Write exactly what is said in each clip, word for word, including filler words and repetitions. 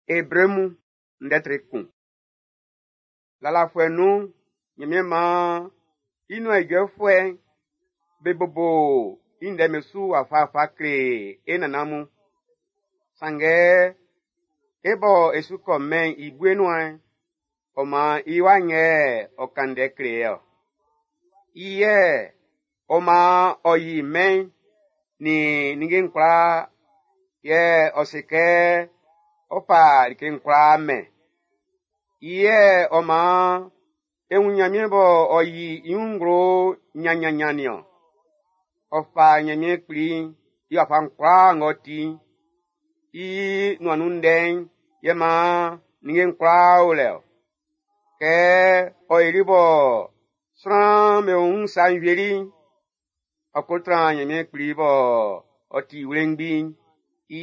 Ebre mun ndɛ tre kun. Lalafuɛ nun'n, Ɲanmiɛn maan i nuan ijɔfuɛ'n be bobo i ndɛ'n su wafawafa kle e nannan mun. Sanngɛ e bɔ e su kɔ mɛn'n i bue nuan'n, ɔ maan i wa'n yɛ ɔ kan ndɛ kle e ɔ. I yɛ ɔ maan ɔ yi mɛn'n nin ninnge'n kwlaa, yɛ ɔ se kɛ ɔ fa like'n kwlaa mɛn. I yɛ ɔ maan e wun Ɲanmiɛn bɔ ɔ yi i wun nglo ɲanɲanɲan nin-ɔn. Ɔ fa Ɲanmiɛn Kpli'n i wafa'n kwlaa ng'ɔ ti'n, i nuan nun ndɛ'n yɛ maan ninnge'n kwlaa o lɛ-ɔ. Kɛ ɔ yoli bɔ sran'm be wun sa'n wieli'n, ɔ ko tran Ɲanmiɛn Kpli bɔ ɔ ti wlengbi'n i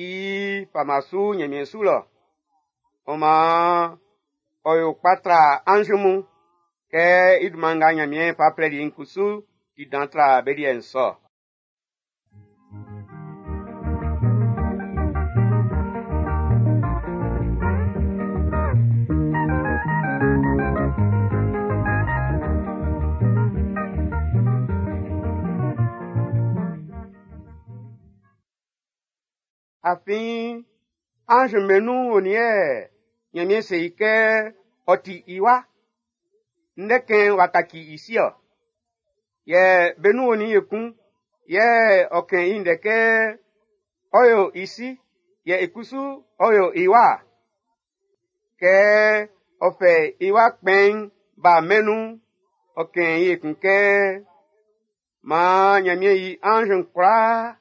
fama su Ɲanmiɛn su lɔ. Ɔ maan ɔ yo kpa tra anz mun, kɛ i dunman nga Ɲanmiɛn fa flɛli i'n kusu ti dan tra be liɛ'n sɔ. Afin anz'm be nun onin yɛ Ɲanmiɛn se i kɛ ɔ ti i wa, ndɛkɛn w'a kaci i si-ɔ. Yɛ be nun onin ekun yɛ ɔ kɛn i ndɛ kɛ ɔ yo i si, yɛ i kusu ɔ yo i wa. Kɛ ɔ fɛ i wa kpɛn'n ba mɛn'n nun'n, ɔ kɛn i ekun kɛ maan Ɲanmiɛn i anz'n kwlaa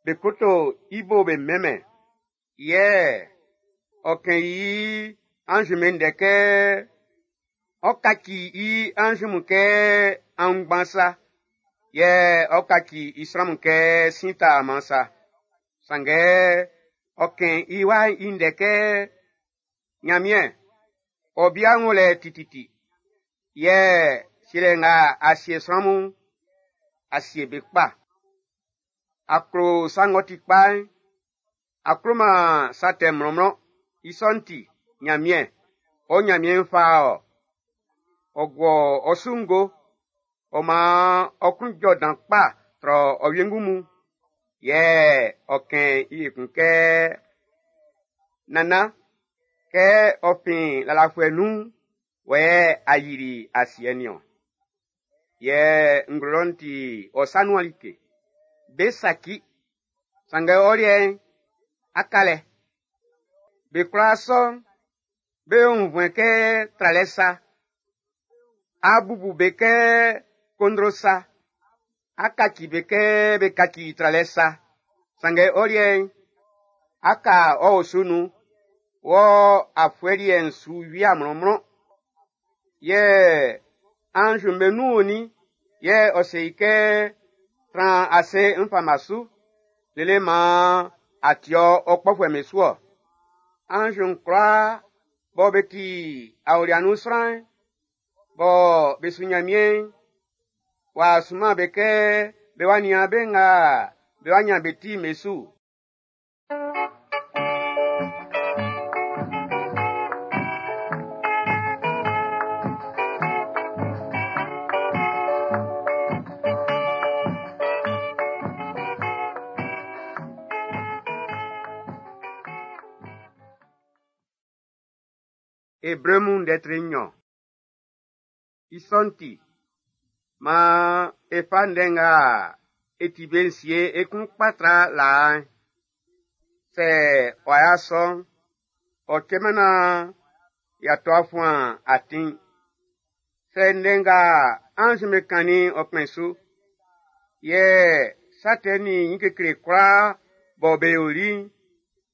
be koto i bo be mɛnmɛn. Yɛ ɔ kɛn i anz'm be ndɛ kɛ ɔ kaci i anz mun kɛ aunngban sa, yɛ ɔ kaci i sran mun kɛ sin taaman sa. Sanngɛ ɔ kɛn i wa'n i ndɛ kɛ Ɲanmiɛn, ɔ bia'n wo lɛ tititi, yɛ sielɛ nga a sie sran mun'n, a sie be kpa. A klo sa ng'ɔ ti kpa'n, a kloman sa tɛ mlɔnmlɔn. I sɔ'n ti, Ɲanmiɛn, ɔ Ɲanmiɛn'n fa ɔ. Ɔ guɔ ɔ su ngo, ɔ maan ɔ klun jɔ dan kpa trɔ ɔ wiengu mun. Yɛ ɔ kɛn i ekun kɛ, Nannan, kɛ ɔ fin lalafuɛ nun'n, wɔ yɛ a yili asiɛ'n niɔn. Yɛ nglo lɔ'n ti ɔ sa nuan like. Be saci, sanngɛ ɔ liɛ'n, á ká lɛ. Be kwlaa sɔ'n, be yo nvuɛn kɛ tralɛ sa. A bubu be kɛ kondro sa. A kaci be kɛ be kaci tralɛ sa. Sanngɛ ɔ liɛ'n, á ká ɔ osu nun, wɔ afuɛ liɛ'n su wia mlɔnmlɔn. Yɛ anz'm be nun onin yɛ ɔ se i kɛ tran ase n fama su, lele maan a ti ɔ kpɔfuɛ'm be su ɔ. Anz'n kwlaa bɔ be ti aolia nun sran'n, bɔ be su Ɲanmiɛn'n, w'a sunman be kɛ be wa nian be nga be wa ɲan be ti'n be su. Ebre mun ndɛ tre nɲɔn. I sɔ'n ti, maan e fa ndɛ nga e ti be'n sie e klun kpa tra laa'n. Sɛ ɔ y'a sɔ'n, ɔ cɛman naan y'a to a fuan atin'n. Sɛ ndɛ nga anz'm be kannin'n ɔ kpɛn su, yɛ sa tɛ nin ɲin kekle kwlaa bɔ be yoli'n,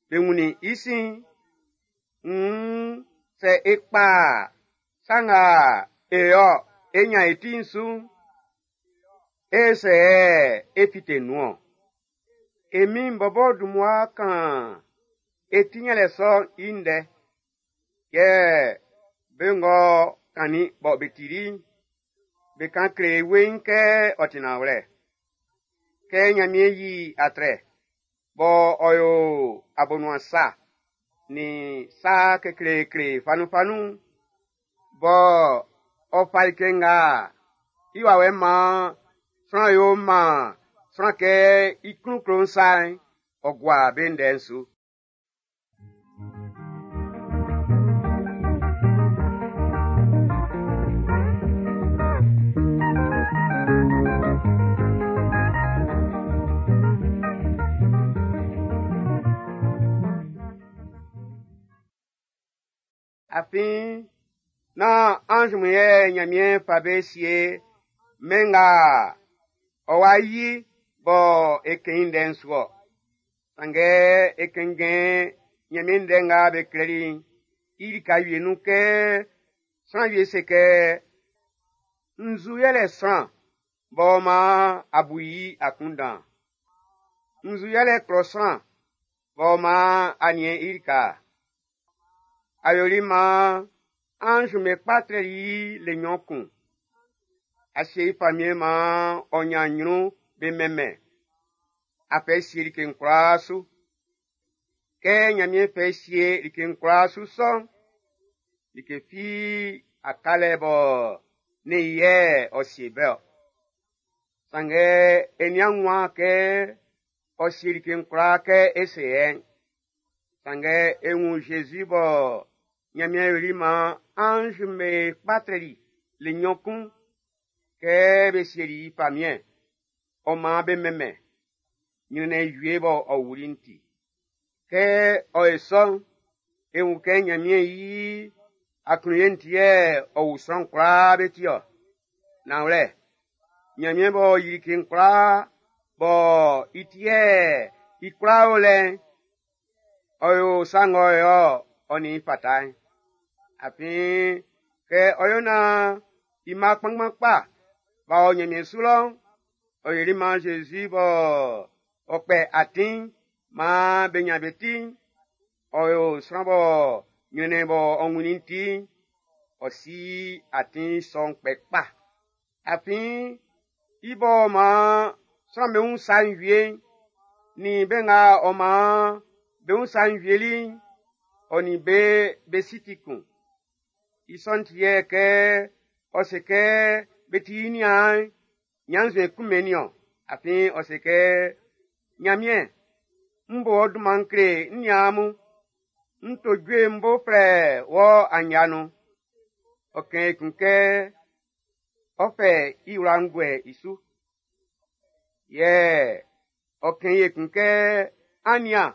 be wunnin i sin'n, nn sɛ e kpa sa nga e yo e ɲan e ti'n su'n, e sɛ e fite nun-ɔn. E Min'n bɔbɔ dun mmua kan e ti ɲanlɛ sɔ'n i ndɛ, yɛ be ng'ɔ kannin bɔ be tili'n, be kan kle e weiin kɛ ɔ ti nanwlɛ. Kɛ Ɲanmiɛn yi atrɛ bɔ ɔ yo abonuan sa, nin sa kekleekle fanunfanun bɔ ɔ fa like nga i wawɛ maan sran yo maan sran kɛ i klun klo sa'n, ɔ gua be ndɛ'n su. Afin nán anz mun yɛ Nyanmiɛn fa be sie mɛn nga ɔ wa yi bɔ e kɛn i ndɛ'n su-ɔ. Sanngɛ e kɛnngɛn Nyanmiɛn ndɛ nga be klɛli'n i lika wie nun kɛ sran wie se kɛ, nzu yɛlɛ sran b'ɔ man a bu i akunndan? Nzu yɛlɛ klɔ sran b'ɔ man a niɛn i lika? A yoli maan anz'm be kpa trɛli i le nnyɔn kun. A sie i famiɛn maan ɔ nyan nyrun be mɛnmɛn. A fɛ sie like'n kwlaa su. Kɛ Nyanmiɛn fɛ sie like'n kwlaa su sɔ'n, like fi a kalɛ bɔ ne yɛ ɔ sie bɛ-ɔ. Sanngɛ e nian nwan kɛ ɔ sie like'n kwlaa kɛ e se yɛ'n. Sanngɛ e wun Jésus bɔ Nyanmiɛn yoli maan anz'm be kpa trɛli le nnyɔn kun kɛ be sieli i famiɛn, ɔ maan be mɛnmɛn, nyrɛnnɛn wie bɔ ɔ wuli'n ti. Kɛ ɔ ye sɔ'n, e wun kɛ Nyanmiɛn yi aklunye'n ti yɛ ɔ wu sran kwlaa be ti-ɔ. Nanwlɛ, Nyanmiɛn b'ɔ yi like'n kwlaa bɔ i ti yɛ i kwlaa o lɛ'n, ɔ yo sa ng'ɔ yo-ɔ ɔ nin i fata'n. Afin kɛ ɔ yo naan i mma kpanngban kpa b'a ɔ Nyanmiɛn su lɔ'n, ɔ yoli maan Jésus bɔ ɔ kpɛ atin'n maan be nyan be ti'n, ɔ yo sran bɔ nyrɛnnɛn bɔ ɔ wunnin ti'n, ɔ si atin sɔ'n kpɛ kpa. Afin i bɔ maan sran'm be wun sa'n wie'n, nin be nga ɔ maan be wun sa'n wieli'n, ɔ nin be be si ti kun. I sɔ'n ti yɛ kɛ ɔ se kɛ be ti i niaan'n, ɲannzuɛn kunmɛn i-ɔ. Afin ɔ se kɛ, Nyanmiɛn, m bo ɔ dunman kle n niaan mun. N to jue m bo flɛ wɔ anya nun. Ɔ kɛn ekun kɛ ɔ fɛ i wla'n guɛ i su. Yɛ ɔ kɛn ekun kɛ, an nian,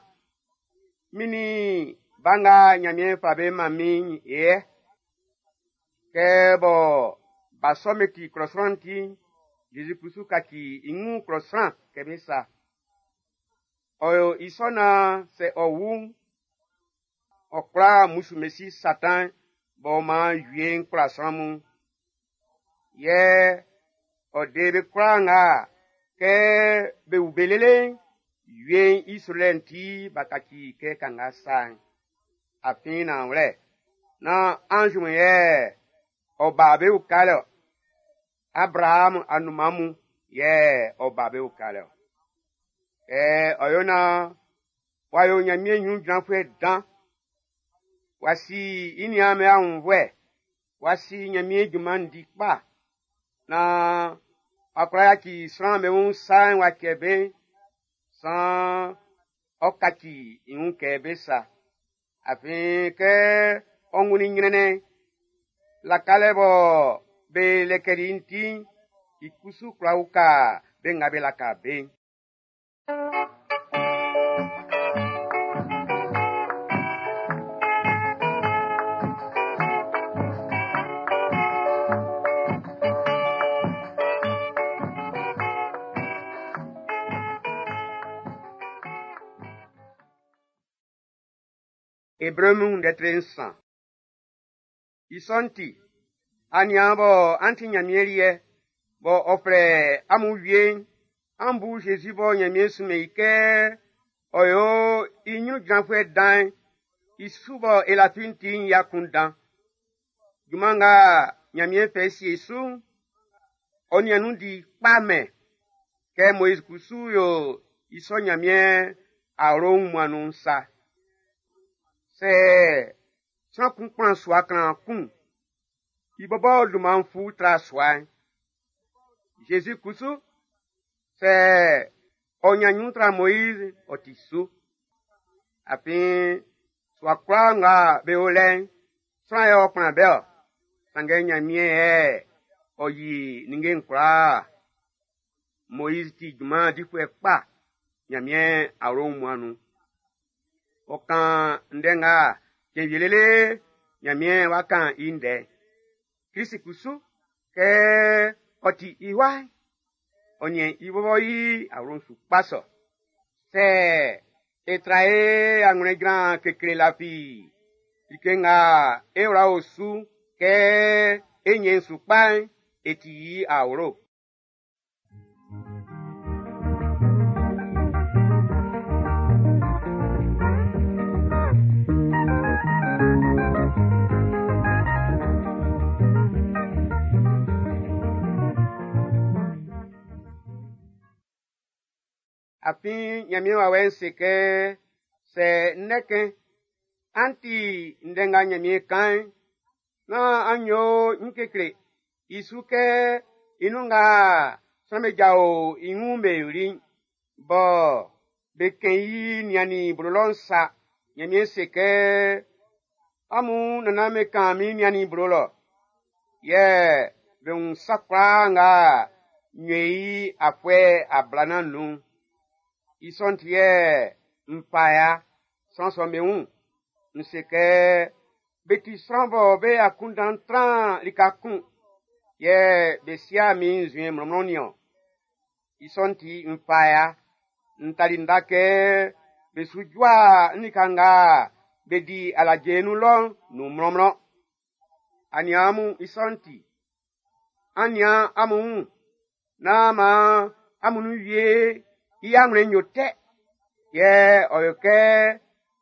min nin ba nga Nyanmiɛn fa be man min'n yɛ. Kɛ bɔ ba sɔ'n be ti klɔ sran'n ti'n, Jésus kusu kaci i wun klɔ sran kɛ be sa. Ɔ yo i sɔ naan sɛ ɔ wu'n, ɔ kwla mmusu mesi Satan b'ɔ maan wie'n kwla sran mun. Yɛ ɔ de be kwlaa nga kɛ be wu be lele'n, wie'n i srolɛ'n ti b'a kaci kɛ kanga sa'n. Afin nanwlɛ, nán anz mun yɛ ɔ ba be ukalɛ-ɔ. Abraham anunman mun yɛ ɔ ba be ukalɛ-ɔ. Kɛ ɔ yo naan w'a yo Nyanmiɛn ɲrun jranfuɛ dan, w'a si i niaan'm be aunnvuɛ, w'a si Nyanmiɛn junman'n di kpa, naan w'a kwla yaci sran'm be wun sa'n w'a cɛ be, saan ɔ kaci i wun kɛ be sa. Afin kɛ ɔ wunnin ɲrɛnnɛn'n, lakalɛ bɔ be lɛkɛli i'n ti'n, i kusu kwla uka be nga be laka be'n. Ebre mun lɛtri nsan. I sɔ'n ti, aniaan bɔ an ti Nyanmiɛn liɛ, bɔ ɔ flɛ amun wie'n, an bu Jésus bɔ Nyanmiɛn sunmɛn i kɛ ɔ yo i ɲrun jranfuɛ dan'n, i su bɔ e lafi'n ti'n i akunndan. Junman nga Nyanmiɛn fɛ sie su'n, ɔ nian nun di kpa mɛn. Kɛ Moiz kusu yo i sɔ Nyanmiɛn awlo wunmuan nun'n sa. Sɛ sran kun kplan sua klanman kun, i bɔbɔ dunman'n fu tra sua'n. Zezi kusu, sɛ ɔ ɲan ɲrun tra Moiz, ɔ ti su. Afin sua kwlaa nga be o lɛ'n, sran yɛ ɔ kplan be ɔ. Sanngɛ Ɲanmiɛn yɛ ɔ yi ninnge'n kwlaa. Moiz ti junman difuɛ kpa Ɲanmiɛn awlo wunmuan'n nun. Ɔ kan ndɛ nga cɛn wie lele Ɲanmiɛn wá kán i ndɛ. Klisi kusu, kɛ ɔ ti i wa'n, ɔ niɛn i bɔbɔ i awlo'n su kpa sɔ. Sɛ e tra e anwlɛn jran kekle lafi like nga e wla o su kɛ e ɲɛn su kpa'n, e ti i awlo. Afin Ɲanmiɛn wawɛ'n se kɛ sɛ ndɛkɛn an ti ndɛ nga Ɲanmiɛn kan'n, nán an yo ɲin kekle i su kɛ i nun nga sran'm be jao i wun be yoli'n, bɔ be kɛn i niannin blo lɔ'n sa. Ɲanmiɛn se kɛ amun nannan'm be kan min niannin blo lɔ, yɛ be wun sa kwlaa nga n yo i afuɛ ablanan nun'n. I sɔ'n ti yɛ n fa ya sran sɔ'm be wun. N se kɛ be ti sran bɔ be akunndan tran lika kun, yɛ be sia min nzuɛn mlɔnmlɔn nin-ɔn. I sɔ'n ti n fa ya. N tali nda kɛ be su jua n lika nga be di alaje nun lɔ'n nun mlɔnmlɔn. Aniaan mun, i sɔ'n ti, an nian amun wun, nán maan amun nun wie i anwlɛn'n yo tɛ, yɛ ɔ yo kɛ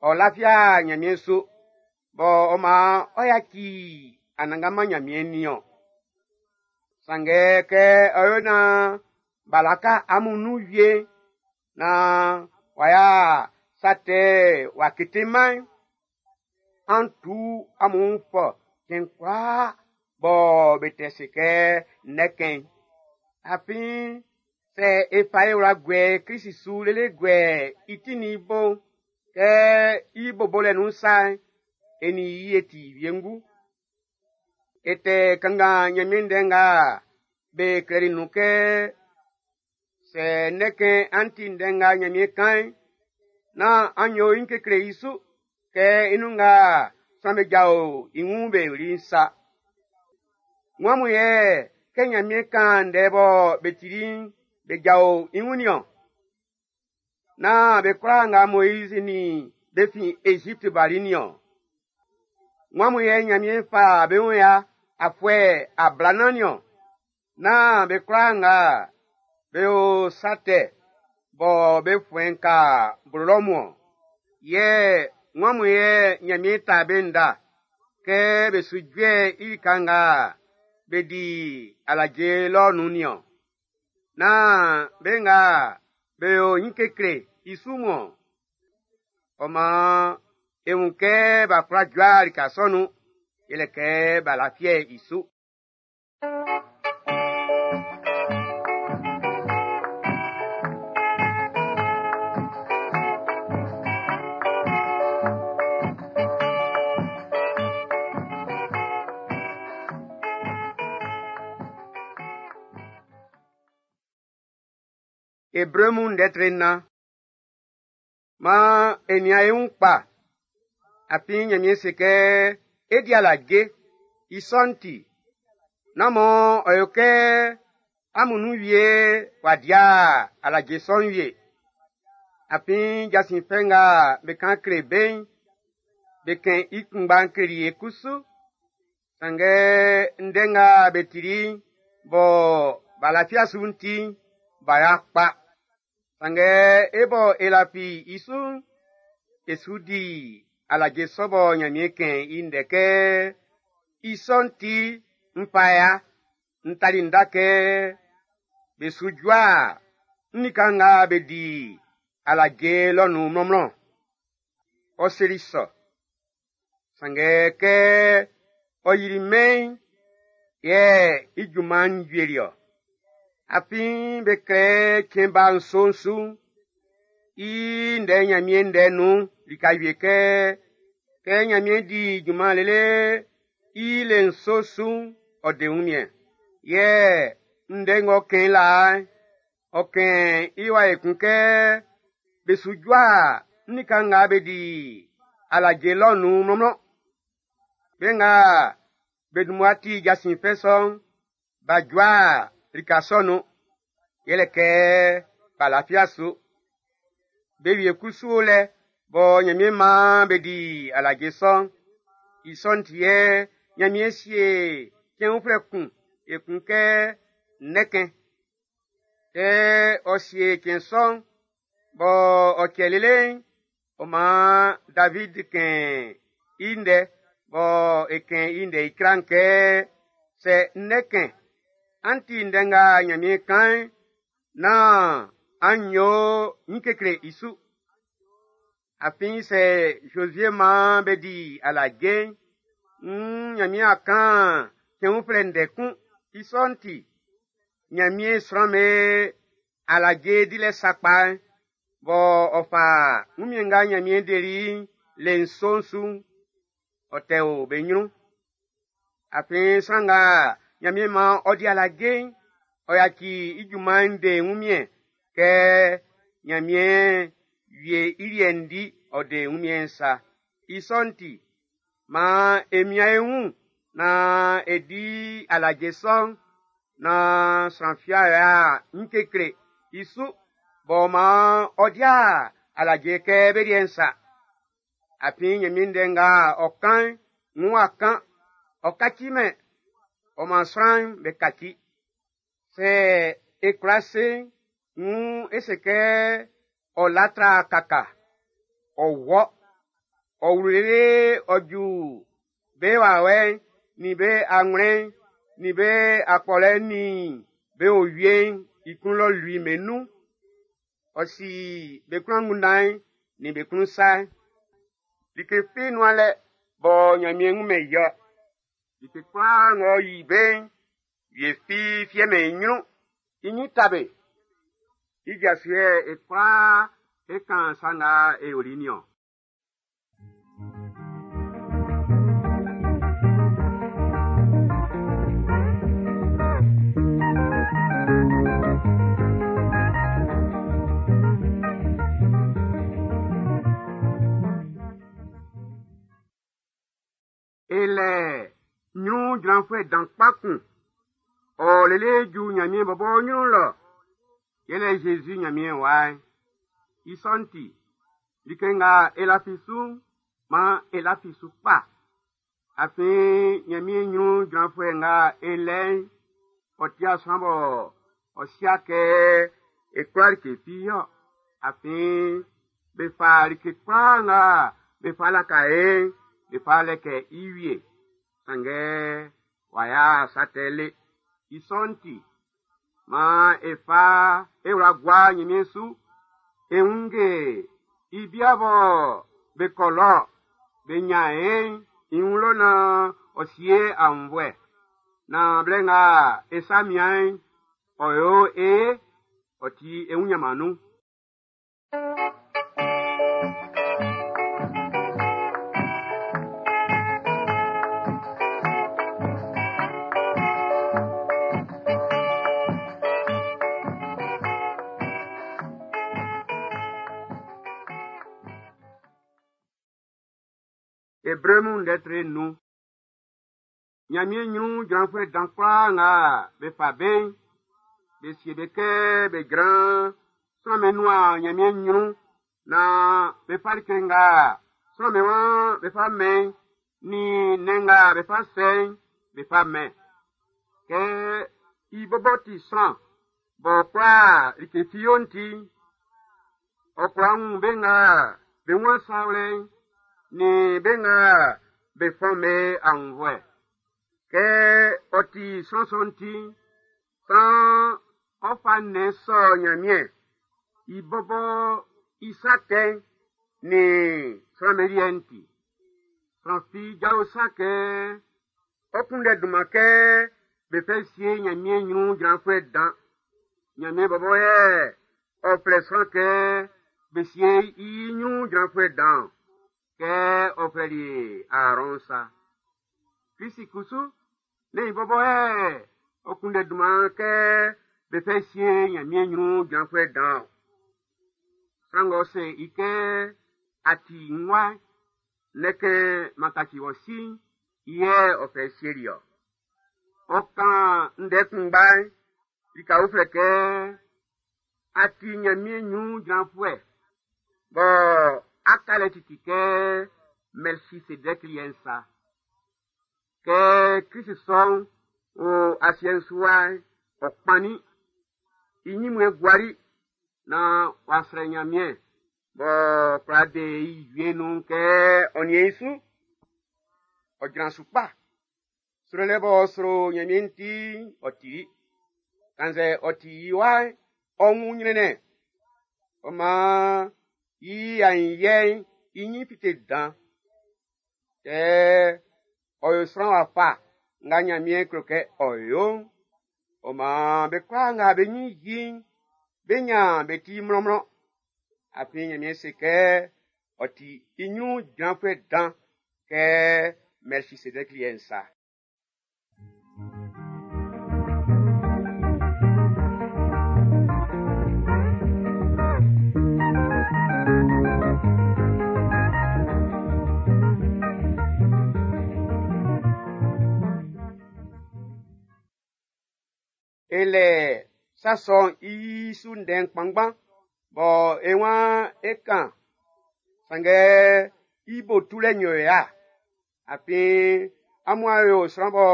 ɔ lafia Ɲanmiɛn su, bɔ ɔ maan ɔ yaci Anannganman Ɲanmiɛn nin-ɔn. Sanngɛ kɛ ɔ yo naan b'a laka amun nun wie naan w'a ya sa tɛ w'a keteman'n, an tu amun wun fɔ cɛn kwlaa bɔ be tɛ se kɛ ndɛkɛn. Afin sɛ e fa e wla guɛ Klisi su lele guɛ i ti nin i bo'n, kɛ i bobolɛ nun sa'n, e nin i e ti wiengu. E tɛ kanngan Ɲanmiɛn ndɛ nga be klɛli nun kɛ sɛ ndɛkɛn an ti ndɛ nga Ɲanmiɛn kan'n, nán an yo ɲin kekle i su kɛ i nun nga sran'm be jao i wun be yoli'n sa. Wan mun yɛ kɛ Ɲanmiɛn kan ndɛ bɔ be tili'n be jao i wun nin-ɔn? Nán be kwlaa nga Moiz nin be fin Ezipti bali nin-ɔn? Wan mun yɛ Ɲanmiɛn fa be wun ya afuɛ ablanan nin-ɔn? Nán be kwlaa nga be yo sa tɛ bɔ be fuɛn ka blo lɔ mun-ɔn? Yɛ wan mun yɛ Ɲanmiɛn ta be nda kɛ be su jue i lika nga be di alaje lɔ nun nin-ɔn? Nán be nga be yo ɲin kekle i su mun-ɔn? Ɔ maan e wun kɛ b'a kwla jua lika sɔ'n nun, yɛlɛ kɛ b'a lafiɛ i su. Ebre mun ndɛ tre nnan. Maan e nian e wun kpa, afin Ɲanmiɛn se kɛ e di alaje. I sɔ'n ti, nán mɔ ɔ yo kɛ amun nun wie w'a dia alaje sɔ'n wie. Afin jasin fɛ nga be kan kle be'n, be kɛn i kunngba'n kleli e kusu. Sanngɛ ndɛ nga be tili'n bɔ b'a lafia su'n ti'n, b'a ya kpa. Sanngɛ e bɔ e lafi i su'n, e su di alaje sɔ bɔ Ɲanmiɛn kɛn i ndɛ kɛ i sɔ'n ti n fa ya, n tali nda kɛ be su jua n lika nga be di alaje lɔ nun mlɔnmlɔn. Ɔ seli sɔ, Sanngɛ kɛ ɔ yili mɛn'n, yɛ i junman'n wieli-ɔ. Afin be klɛ cɛn ba nso'n su i ndɛ Ɲanmiɛn ndɛ nun lika wie kɛ, kɛ Ɲanmiɛn di junman lele i le nso su'n, ɔ de wunmiɛn. Yɛ ndɛ ng'ɔ kɛn laa'n, ɔ kɛn i wa ekun kɛ be su jua lika nga be di alaje lɔ'n nun mlɔnmlɔn. Be nga be dun mmua ti jasin fɛ sɔ'n, b'a jua lika sɔ'n nun. Yɛlɛ kɛ b'a lafi su. Be wie kusu o lɛ bɔ Ɲanmiɛn maan be di alaje sɔ'n. I sɔ'n ti yɛ Ɲanmiɛn sie cɛn uflɛ kun ekun kɛ nnɛkɛn. Kɛ ɔ sie cɛn sɔ'n, bɔ ɔ cɛ lele'n, ɔ maan David kɛn i ndɛ bɔ e kɛn i ndɛ i kran kɛ sɛ nnɛkɛn an ti ndɛ nga Ɲanmiɛn kan'n, nán an yo ɲin kekle i su. Afin sɛ Zozie maan be di alaje'n, nn Ɲanmiɛn a kan cɛn uflɛ ndɛ kun. I sɔ'n ti, Ɲanmiɛn sran'm be alaje dilɛ sakpa'n, bɔ ɔ fa wunmiɛn nga Ɲanmiɛn deli i'n le nso'n su'n, ɔ tɛ o be ɲrun. Afin sran nga Ɲanmiɛn maan ɔ di alaje'n, ɔ yaci i junman'n de wunmiɛn kɛ Ɲanmiɛn wie i liɛ'n di ɔ de wunmiɛn'n sa. I sɔ'n ti, maan e mian e wun naan e di alaje sɔ'n, naan sran fi a ɲin kekle i su, b'ɔ maan ɔ di alaje kɛ be liɛ'n sa. Afin Ɲanmiɛn ndɛ nga ɔ kan'n, nn w'a kan, ɔ kacimɛn, ɔ maan sran'm be kaci. Sɛ e kwla se'n, nn e se kɛ ɔ latra kaka, ɔ wɔ, ɔ wlu lele ɔ ju be wawɛ'n nin be anwlɛn'n nin be akpɔlɛ'n nin be owie'n i klun lɔ lui'm be nun. Ɔ si be klun angunndan'n nin be klun sa'n. Like fi nuan lɛ bɔ Ɲanmiɛn wunmɛn i ɔ. Like kwlaa ng'ɔ yi be'n, wie fi fiɛmɛn i ɲrun. I ɲin ta be. I ja su yɛ e kwlaa e kan sa nga e yoli'n niɔn. E lɛ ɲrun jranfuɛ dan kpa kun. Ɔ lele ju Ɲanmiɛn bɔbɔ ɲrun lɔ. Yɛlɛ Zezi Ɲanmiɛn wa'n. I sɔ'n ti, like nga e lafi su'n, maan e lafi su kpa. Afin Ɲanmiɛn ɲrun jranfuɛ nga e lɛ'n, ɔ ti sran bɔ ɔ sia kɛ e kwla like fi yɔ. Afin be fa like kwlaa nga be fa laka e'n, be fa lɛkɛ i wie. Sanngɛ w'a ya sa tɛ le. I sɔ'n ti, maan e fa e wla gua Ɲanmiɛn su. E wunnge i bia bɔ be kɔ lɔ be ɲan e'n i wun lɔ naan ɔ sie aunnvuɛ. Naan blɛ nga e sa mian'n, ɔ yo e ye, ɔ ti e wun ɲanman nun. Ebre mun ndɛ tre nun. Ɲanmiɛn ɲrun jranfuɛ dan kwlaa nga be fa be'n, be sie be kɛ be jran sran'm be nuan Ɲanmiɛn ɲrun naan be fa like nga sran'm be waan be fa mɛn'n nin nnɛn nga be fa sɛ'n be fa mɛn. Kɛ i bɔbɔ ti sran b'ɔ kwla like fi yo'n ti'n, ɔ kwla wun be nga be wun sa wlɛ'n nin be nga be fɔn be aunnvuɛ. Kɛ ɔ ti sran sɔ'n ti'n, saan ɔ fa nnɛn sɔ Ɲanmiɛn i bɔbɔ i sa tɛ'n nin sran'm be liɛ'n ti. Sran fi jao sa kɛ ɔ kunndɛ dunman kɛ be fɛ sie Ɲanmiɛn ɲrun jranfuɛ dan. Ɲanmiɛn bɔbɔ yɛ ɔ flɛ sran kɛ be sie i ɲrun jranfuɛ dan kɛ ɔ flɛli Aarɔn sa. Krisi kusu, ne i bɔbɔ yɛ ɔ kunndɛ dunman kɛ be fɛ sie Ɲanmiɛn ɲrun jranfuɛ dan. Sran ng'ɔ se i kɛ a ti n wa, ne kɛ makaci wɔ si'n, i yɛ ɔ fɛ sieli ɔ. Ɔ kan ndɛ kunngba'n lika uflɛ kɛ a ti Ɲanmiɛn ɲrun jranfuɛ bɔ a ka lɛ titi kɛ Mɛlkisedɛki liɛ'n sa. Kɛ Krisi sɔ'n o asiɛ'n su wa'n, ɔ kpannin, i ɲinmuɛn guali naan w'a srɛ Ɲanmiɛn b'ɔ kwla de i wie nun kɛ ɔ niɛn i su. Ɔ jran su kpa. Srolɛ b'ɔ sro Ɲanmiɛn'n ti'n, ɔ tili. Kannzɛ ɔ ti i wa'n, ɔ wun ɲrɛnnɛn. Ɔ maan i aɲinyiɛ'n i ɲin fite dan. Kɛ ɔ yo sran wafa nga Ɲanmiɛn klo kɛ ɔ yo'n, ɔ maan be kwlaa nga be ɲin yi i'n, be ɲan be ti mlɔnmlɔn. Afin Ɲanmiɛn se kɛ ɔ ti i ɲrun jranfuɛ dan kɛ Mɛlkisedɛki liɛ'n sa. E lɛ sa sɔ'n i su ndɛ'n kpanngban bɔ e waan e kan, sanngɛ i bo tulɛ nyo ya. Afin amun a yo sran bɔ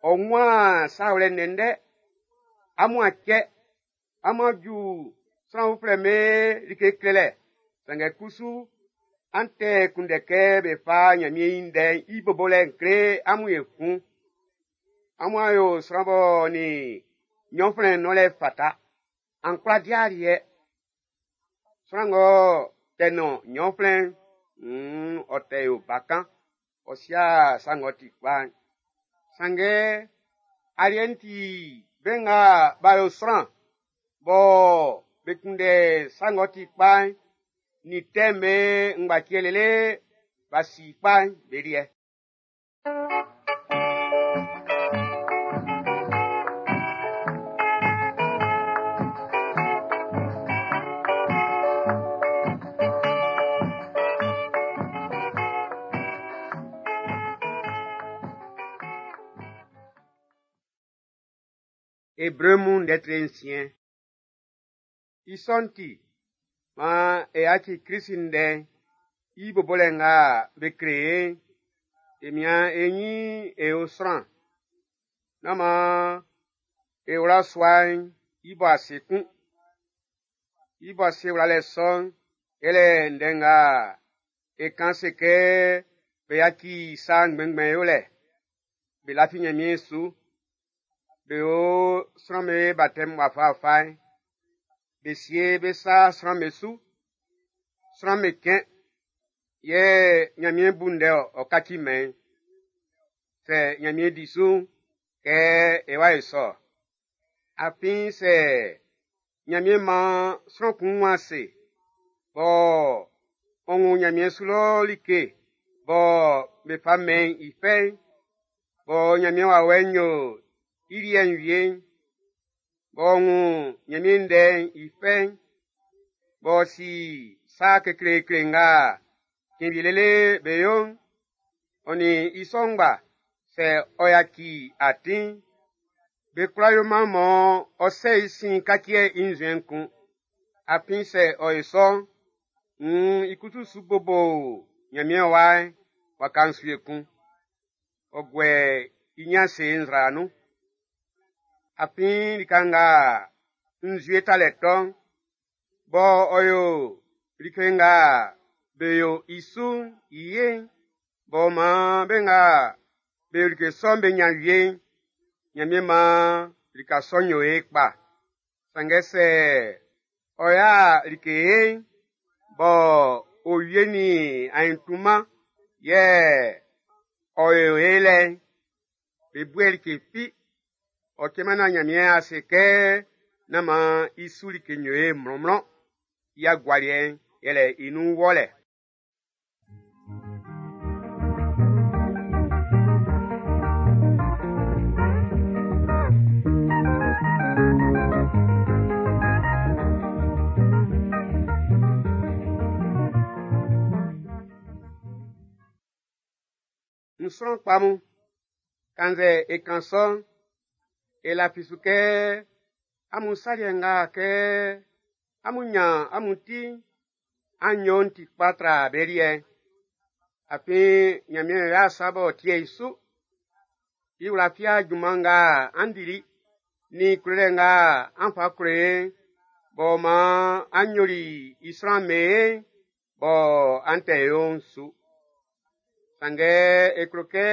ɔ wun sa wlɛ ndɛndɛ, amun a cɛ, amun a ju sran uflɛ be like klelɛ, sanngɛ kusu an tɛ kunndɛ kɛ be fa Ɲanmiɛn i ndɛ'n i bobolɛ'n kle amun ekun. Amun a yo sran bɔ nin ɲɔnflɛn nɔnlɛ fata, an kwla di aliɛ. Sran ng'ɔ tɛ nɔn ɲɔnflɛn'n, mm, ɔ tɛ yo bakan, ɔ sia sa ng'ɔ ti kpa'n. Sanngɛ aliɛ'n ti be nga b'a yo sran bɔ be kunndɛ sa ng'ɔ ti kpa'n, nin tɛ'n be ngbaciɛ lele b'a si kpa'n be liɛ. Ebre mun lɛtri nsiɛn. I sɔ'n ti, maan e yaci Krisi ndɛ'n i bobolɛ nga be kle e'n, e mian e ɲin e yo sran. Nán maan e wla sua'n i bo ase kun. I bo ase wlalɛ sɔ'n, yɛlɛ ndɛ nga e kan se kɛ be yaci sa ngbɛngbɛn yolɛ, be lafi Ɲanmiɛn su, be yo sran'm be batɛm wafawafa'n, be sie be sa sran'm be su, sran'm be cɛn, yɛ Ɲanmiɛn bu ndɛ ɔ kaci mɛn'n. Sɛ Ɲanmiɛn di su'n, kɛ e wa e sɔ. Afin sɛ Ɲanmiɛn maan sran kun wun ase, bɔ ɔ wun Ɲanmiɛn su lɔ like bɔ be fa mɛn i fɛ'n, bɔ Ɲanmiɛn wawɛ'n yo i liɛ'n wie'n, b'ɔ wun Ɲanmiɛn ndɛ'n i fɛ'n, b'ɔ si sa kekleekle nga cɛn wie lele be yo'n, ɔ nin i sɔ ngba sɛ ɔ yaci atin'n, be kwla yoman mɔ ɔ sɛ i sin kaci i nzuɛn'n kun. Afin sɛ ɔ yo sɔ'n, nn i kusu su bobo Ɲanmiɛn wa'n waka'n su ekun. Ɔ guɛ i ɲin ase nzra nun. Afin lika nga nzue talɛ tɔ'n, bɔ ɔ yo like nga be yo i su'n i ye'n, b'ɔ maan be nga be yo like sɔ'n be ɲan wie'n, Ɲanmiɛn maan lika sɔ'n yo ye kpa. Sanngɛ sɛ ɔ ya like ye'n, bɔ owie nin aɲintunman Yɛ ɔ o e lɛ'n, be bue like fi, ɔ cɛman na Ɲanmiɛn a se kɛ nán maan i su like nyo e mlɔnmlɔn. I agualiɛ'n yɛlɛ i nun wɔlɛ. N sran kpa mun, kannzɛ e kan sɔ'n, e lafi su kɛ amun saliɛ nga kɛ amun nyan amun ti'n, an yo'n ti kpa tra be liɛ'n. Afin Nyanmiɛn y'a sa b'ɔ tie i su. I wla fia junman nga an dili, nin klolɛ nga an fa klo e'n, b'ɔ maan an yoli i sran mɛn bɔ an tɛ yo'n su. Sanngɛ e klo kɛ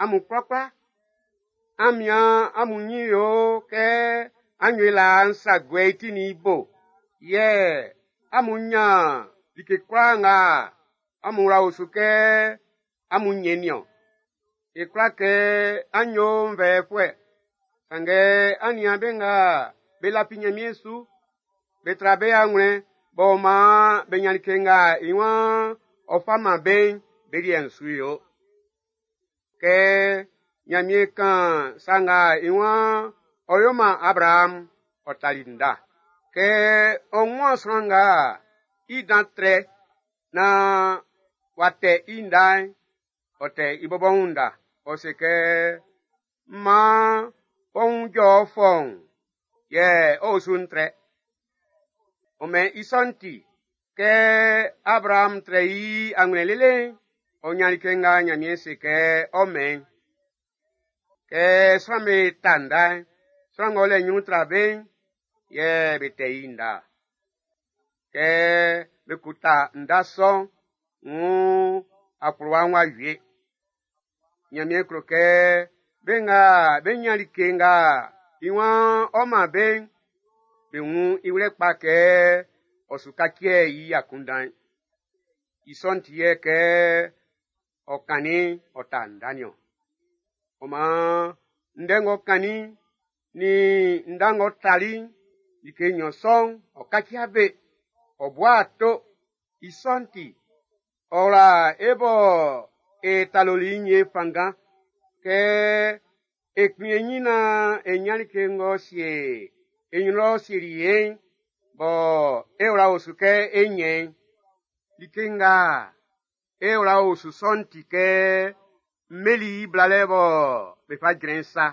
amun kwlakwla, an mian amun nyin yo kɛ an yo i laa'n sa guɛ i ti nin i bo, yɛ amun nyan like kwlaa nga amun wla o su kɛ amun nyɛn nin-ɔn. E kwla kɛ an yo nvɛɛfuɛ, sanngɛ an nian be nga be lafi Nyanmiɛn su, be tra be anwlɛn b'ɔ maan be nyan like nga i waan ɔ fa man be'n, be liɛ'n su yo. Kɛ Nyanmiɛn kan sa nga i waan ɔ yo man Abraham, ɔ tali nda. Kɛ ɔ wun sran nga i dan trɛ naan w'a tɛ i nda'n, ɔ tɛ i bɔbɔ wun nda. Ɔ se kɛ, maan ɔ wun jɔ fɔun, yɛ ɔ osu'n trɛ. Ɔ mɛn i sɔ'n ti, kɛ Abraham trɛ i anwlɛn lele'n, ɔ nyan like nga Nyanmiɛn se kɛ ɔ mɛn. Kɛ sran'm be ta nda'n, sran ng'ɔ lɛ nyrun tra be'n, yɛ be tɛ i nda. Kɛ be ko ta nda sɔ'n, wuun akplowa'n w'a wie. Nyanmiɛn klo kɛ be nga be nyan like nga i waan ɔ man be'n, be wun i wlɛ kpa kɛ ɔ su kaciɛ i akunndan'n. I sɔ'n ti yɛ kɛ ɔ kannin ɔ ta nda nin-ɔn. Ɔ maan ndɛ ng'ɔ kannin'n nin nda ng'ɔ tali'n, like nnyɔn sɔ'n ɔ kaci be, ɔ bua ato. I sɔ'n ti, ɔ wla e bɔ e taloli i'n e fanngan kɛ e kplin e nyin naan e nyan like ng'ɔ sie e nyrun lɔ sieli e'n, bɔ e wla o su kɛ e nyɛn'n. Like nga e wla o su sɔ'n ti kɛ mmeli i blalɛ bɔ be fa jrɛn sa,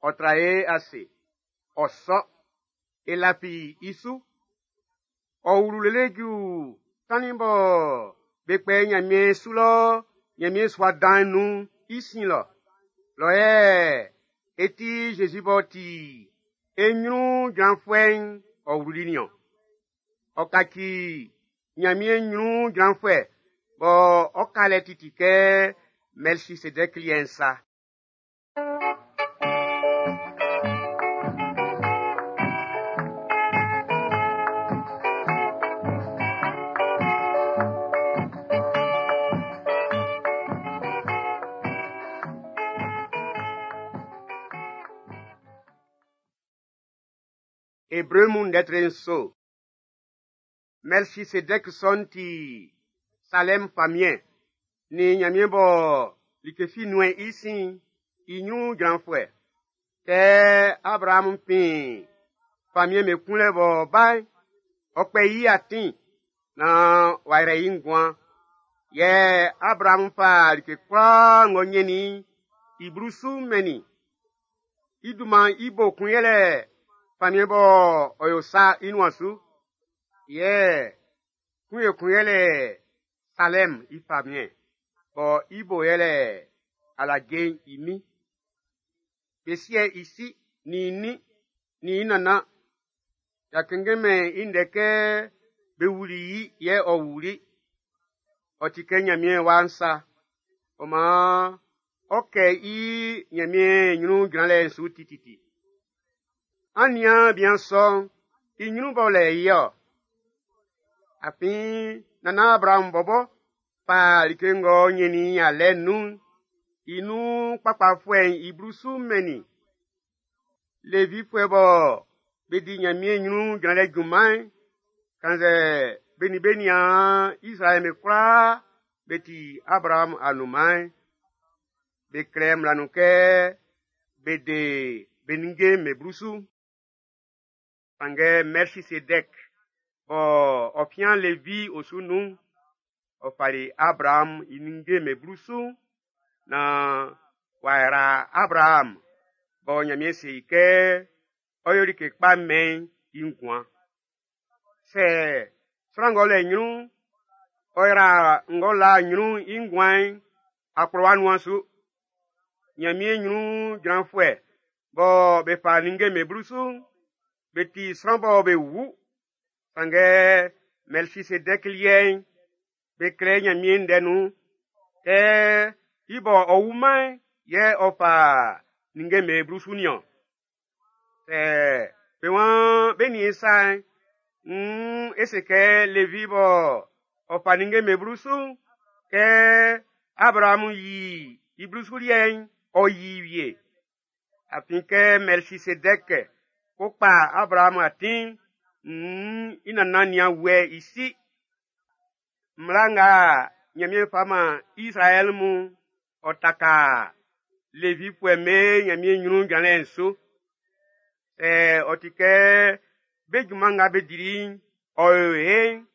ɔ tra e ase, ɔ sɔ, e lafi i su. Ɔ wlu lele ju tannin bɔ be kpɛ Nyanmiɛn su lɔ Nyanmiɛn sua dan'n nun i sin lɔ. Lɔ yɛ e ti Zezi b'ɔ ti e nyrun jranfuɛ'n ɔ wluli nin-ɔn. Ɔ kaci Nyanmiɛn nyrun jranfuɛ bɔ ɔ ka lɛ titi kɛ Mɛlkisedɛk liɛ'n sa. Ebre mun ndɛtre nso. Mɛlkisedɛk sɔ'n ti Salɛm famiɛn nin Nyanmiɛn bɔ like fi nuɛn i sin'n i nyrun jranfuɛ. Kɛ Abraham fin famiɛn be kunlɛ b'ɔ ba'n, ɔ kpɛ i atin naan w'a yrɛ i nguan. Yɛ Abraham fa like kwlaa ng'ɔ nyɛnnin i'n i blusu'n mɛnnin i. I dunman'n i bo kun yɛlɛ famiɛn bɔ ɔ yo sa i nuan su. Yɛ kun ekun yɛlɛ Salɛm i famiɛn, bɔ i bo yɛlɛ alaje'n i min. Be sie i si nin i nin nin i nannan. Y'a kɛnngɛnmɛn i ndɛ kɛ be wuli i yɛ ɔ wuli. Ɔ ti kɛ Nyanmiɛn wa'n sa. Ɔ maan ɔ kɛ i Nyanmiɛn nyrun jranlɛ'n su tititi. An nian bian sɔ'n i nyrun b'ɔ lɛ i-ɔ. Afin nannan Abraham bɔbɔ fa like ng'ɔ ɲɛnnin i alɛ'n nun'n, i nun kpakpafuɛ'n i blusu'n mɛn i. Levifuɛ bɔ be di Ɲanmiɛn ɲrun jranlɛ junman'n, kannzɛ be nin be niaan Izraɛl be kwlaa be ti Abraamu anunman'n, be klɛ mmla nun kɛ be de be ninnge'm be blusu. Sanngɛ Mɛlkisedɛk bɔ ɔ fian Levi osu nun'n, ɔ fali Abraamu i ninnge'm be blusu'n naan w'a yra Abraamu bɔ Ɲanmiɛn se i kɛ ɔ yo like kpa mɛn i nguan. Sɛ sran ng'ɔ lɛ ɲrun'n, ɔ yra ng'ɔ la ɲrun'n i nguan'n, akplowa nuan su. Ɲanmiɛn ɲrun jranfuɛ bɔ be fa ninnge'm be blusu'n, be ti sran bɔ be wu. Sanngɛ Mɛlkisedɛk liɛ'n, be klɛ Ɲanmiɛn ndɛ nun kɛ i bɔ ɔ wuman'n yɛ ɔ fa ninnge'm be blusu niɔn. Sɛ be waan be nin e sa'n, nn e se kɛ Levi bɔ ɔ fa ninnge'm be blusu'n, kɛ Abraamu yi i blusu liɛ'n, ɔ yi wie. Afin kɛ Mɛlkisedɛk ko kpa Abraamu atin'n, nn i nannan nian wuɛ i si. Mmla nga Ɲanmiɛn fa man Izraɛl mun, ɔ taka Levifuɛ'm be Ɲanmiɛn ɲrun jranlɛ'n su. Sɛ ɔ ti kɛ be junman nga be dili'n, ɔ yo ye'n,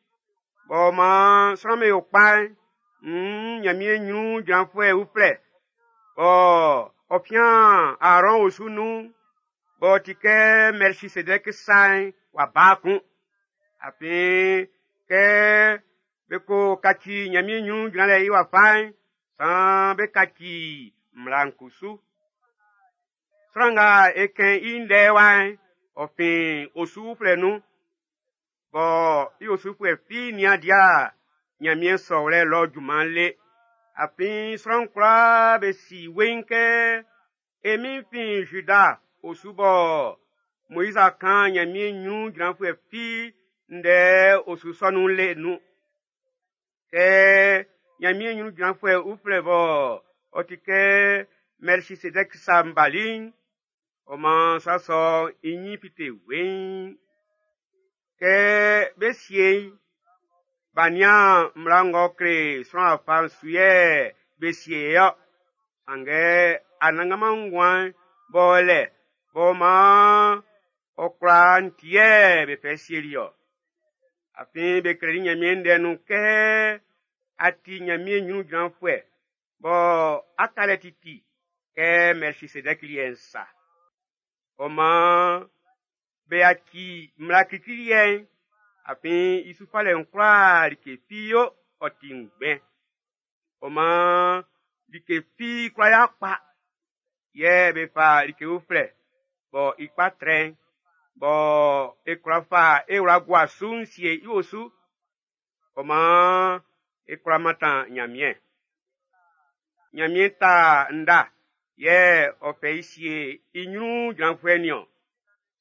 b'ɔ maan sran'm be yo kpa'n, nn Ɲanmiɛn ɲrun jranfuɛ uflɛ, bɔ ɔ fian Aarɔn osu nun'n, b'ɔ ti kɛ Mɛlkisedɛk sa'n w'a ba kun. Afin kɛ be ko kaci Ɲanmiɛn ɲrun jranlɛ i wafa'n, saan be kaci mmla'n kusu. Sran nga e kɛn i ndɛ wa'n, ɔ fin osu uflɛ nun, bɔ i osufuɛ fi nian dia Ɲanmiɛn sɔwlɛ lɔ junman le. Afin sran kwlaa be si weiin kɛ e Min'n fin Juda osu bɔ Moiz a kan Ɲanmiɛn ɲrun jranfuɛ fi ndɛ osu sɔ nun le nun. Kɛ Ɲanmiɛn ɲrun jranfuɛ uflɛ bɔ ɔ ti kɛ Mɛlkisedɛk sa'n bali'n, ɔ maan sa sɔ'n i ɲin fite weiin. Kɛ be sie i'n, b'a nian mmla ng'ɔ kle sran afa'n su yɛ be sie i-ɔ. Sanngɛ Anannganman nguan'n b'ɔ o lɛ b'ɔ maan ɔ kwla'n ti yɛ be fɛ sieli-ɔ. Afin be klɛli Ɲanmiɛn ndɛ nun kɛ a ti Ɲanmiɛn ɲrun jranfuɛ bɔ a ka lɛ titi kɛ Mɛlkisedɛk liɛ'n sa. Ɔ maan be yaci mmla klikli liɛ'n, afin i su falɛ'n kwla like fi yo ɔ ti ngbɛn. Ɔ maan like fi kwla ya kpa, yɛ be fa like uflɛ bɔ i kpa trɛ'n, bɔ e kwla fa e wla gua su'n sie i osu. Ɔ maan e kwla mantan Ɲanmiɛn. Ɲanmiɛn ta nda yɛ ɔ fɛ i sie i ɲrun jranfuɛ niɔn.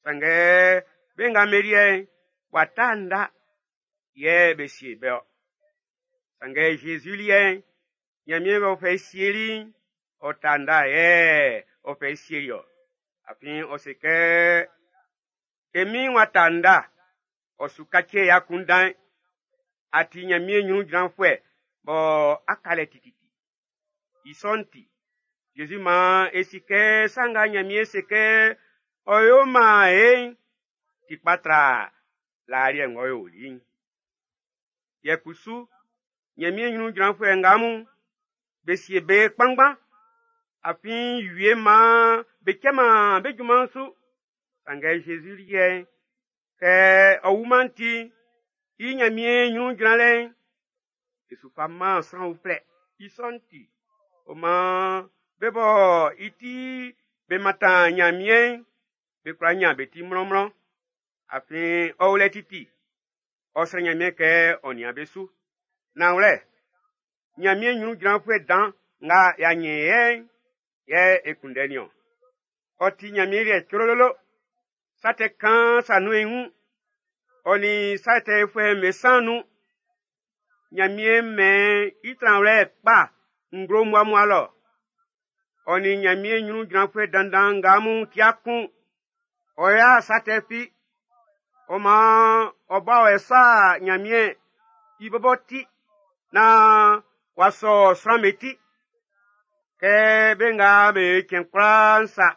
Sanngɛ be nga be liɛ'n, w'a ta nda yɛ be sie be-ɔ. Sanngɛ Zezi liɛ'n, Ɲanmiɛn b'ɔ fɛ i sieli'n, ɔ ta nda yɛ ɔ fɛ i sieli-ɔ. Afin ɔ se kɛ, e Min'n w'a ta nda, ɔ su kaci i akunndan'n. A ti Ɲanmiɛn ɲrun jranfuɛ bɔ a ka lɛ tititi. I sɔ'n ti, Zezi maan e si kɛ sa nga Ɲanmiɛn se kɛ ɔ yo man e'n, ti kpa tra laa liɛ ng'ɔ yoli'n. Yɛ kusu, Ɲanmiɛn ɲrun jranfuɛ nga mun, be sie be kpanngban. Afin wie maan be cɛman be junman'n su. Sanngɛ Zezi liɛ'n, kɛ ɔ wuman ti'n, i Ɲanmiɛn ɲrun jranlɛ'n, e su fa man sran uflɛ. I sɔ'n ti, ɔ maan be bɔ i ti be mantan Ɲanmiɛn'n, be kwla ɲan be ti mlɔnmlɔn. Afin ɔ o lɛ titi, ɔ srɛ Ɲanmiɛn kɛ ɔ nian be su. Nanwlɛ, Ɲanmiɛn ɲrun jranfuɛ dan nga y'a ɲɛn i'n, yɛ e kunndɛ niɔn. Ɔ ti Ɲanmiɛn liɛ crololo. Sa tɛ kaan sa nun i wun. Ɔ nin sa tɛfuɛ'm be san nun. Ɲanmiɛn mɛn i tranwlɛ kpa nglo mmuammua lɔ. Ɔ nin Ɲanmiɛn ɲrun jranfuɛ dandan nga mun tia kun. Ɔ ya sa tɛ fi. Ɔ maan ɔ ba ɔ sa Ɲanmiɛn i bɔbɔ ti naan w'a sɔ sran'm be ti. Kɛ be nga be cɛn kwlaa'n sa.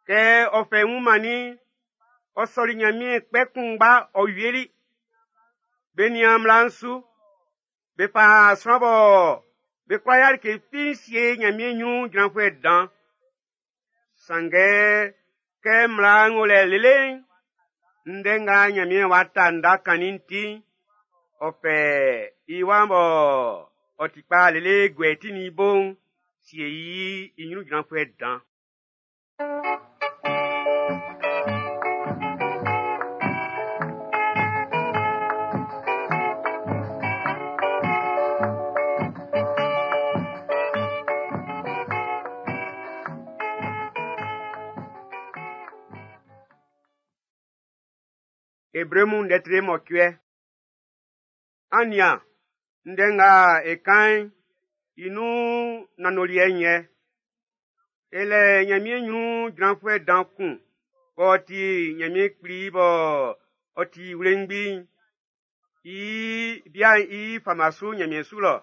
Kɛ ɔ fɛ i wun mannin'n, ɔ sɔli Ɲanmiɛn kpɛ kunngba ɔ wieli. Be nian mmla'n su. Be fa sran bɔ be kwla ya like fi sie Ɲanmiɛn ɲrun jranfuɛ dan. Sanngɛ kɛ mmla'n o lɛ lele'n, ndɛ nga Ɲanmiɛn w'a ta nda kannin'n ti'n, ɔ fɛ i wa'n bɔ ɔ ti kpa lele guɛ i ti nin i bo'n sie i i ɲrun jranfuɛ dan. Ebre mun ndɛ tre mɔcuɛ. An nian, ndɛ nga e kan'n, i nun nanndoliɛ'n yɛ. E lɛ Ɲanmiɛn ɲrun jranfuɛ dan kun b'ɔ ti Ɲanmiɛn Kpli bɔ ɔ ti wlengbi'n, i bia'n i fama su Ɲanmiɛn su lɔ.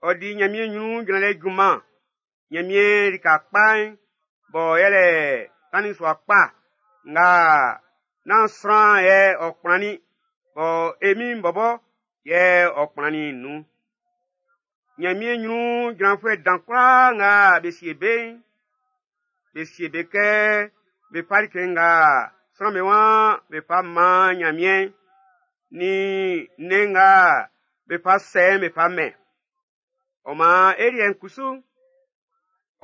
Ɔ di Ɲanmiɛn ɲrun jranlɛ junman Ɲanmiɛn lika kpa'n bɔ yɛlɛ tannin sua kpa nga nán sran yɛ ɔ kplannin bɔ e Min'n bɔbɔ yɛ ɔ kplannin'n nun. Ɲanmiɛn ɲrun jranfuɛ dan kwlaa nga be sie be'n, be sie be kɛ be fa like nga sran'm be waan be fa man Ɲanmiɛn'n, nin nnɛn nga be fa sɛ'n be fa mɛn. Ɔ maan e liɛ'n kusu,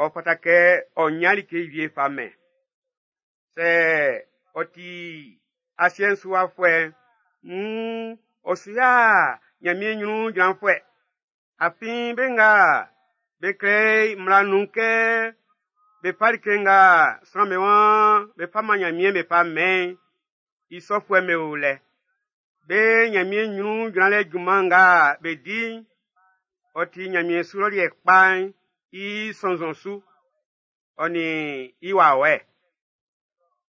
ɔ fata kɛ ɔ ɲan like wie fa mɛn. Sɛ ɔ ti asiɛ'n su wafuɛ'n, nn ɔ su ya Ɲanmiɛn ɲrun jranfuɛ. Afin be nga be klɛ mmla nun kɛ be fa like nga sran'm be waan be fa man Ɲanmiɛn be fa mɛn'n, i sɔfuɛ'm be o lɛ. Be Ɲanmiɛn ɲrun jranlɛ junman nga be di'n, ɔ ti Ɲanmiɛn su lɔ liɛ kpa'n i sɔnnzɔn su, ɔ nin i wawɛ.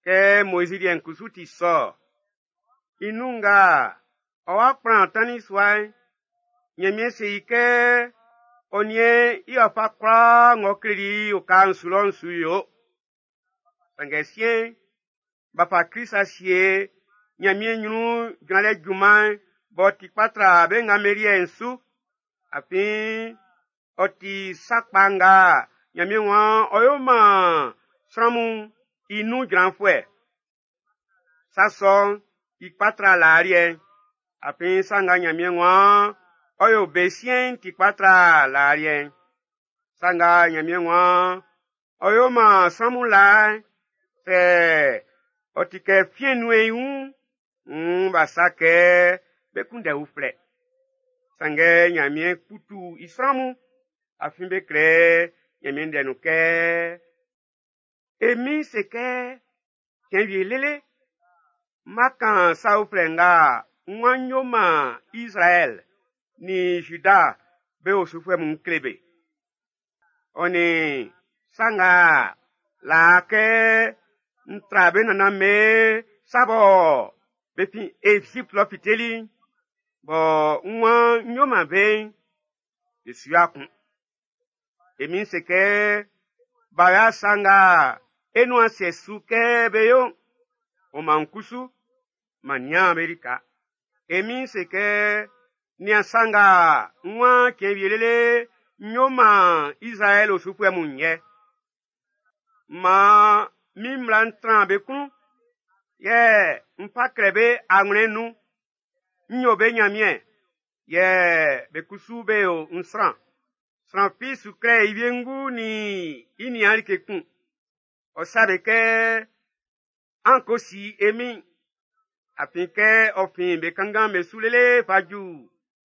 Kɛ Moizi liɛ'n kusu ti sɔ. I nun nga ɔ wa kplan tannin sua'n, Ɲanmiɛn se i kɛ ɔ niɛn i wafa kwlaa ng'ɔ kleli i oka'n su lɔ'n su yo. Sanngɛ siɛn'n, b'a fa Krist a sie Ɲanmiɛn ɲrun jranlɛ junman'n b'ɔ ti kpa tra be nga be liɛ'n su. Afin ɔ ti sa kpa nga Ɲanmiɛn waan ɔ yo man sran mun i nun jranfuɛ. Sa sɔ'n i kpa tra laa liɛ'n. Afin sa nga Ɲanmiɛn waan ɔ yo be siɛn'n ti kpa tra laa liɛ'n. Sa nga Ɲanmiɛn waan ɔ yo man sran mun laa'n, sɛ ɔ ti kɛ fiɛn nun i wun, nn b'a sa kɛ be kunndɛ uflɛ. Sanngɛ Ɲanmiɛn kputu i sran mun, afin be klɛ Ɲanmiɛn ndɛ nun kɛ, E Min'n se kɛ, cɛn wie lele, n ma kan sa uflɛ nga n waan n yo man Izraɛl nin Juda be osufuɛ mun kle be. Ɔ nin sa nga laa kɛ n tra be nannan be sa bɔ be fin Ezipt lɔ fiteli'n, bɔ n waan n yo man be'n, be su ya kun. E Min'n se kɛ, b'a ya sa nga e nuan sɛ su kɛ be yo'n, ɔ man kusu, man nian be lika. E Min'n se kɛ, nian sa nga n waan cɛn wie lele n yo man Izraɛl osufuɛ mun yɛ. Maan min mmla'n tran be klun, yɛ n fa klɛ be anwlɛn'n nun. N yo be Ɲanmiɛn, yɛ be kusu be yo n sran. Sran fi su klɛ i wiengu nin i niaan like kun. Ɔ sa be kɛ, an ko si e Min'n. Afin kɛ ɔ fin be kanngan be su lele fa ju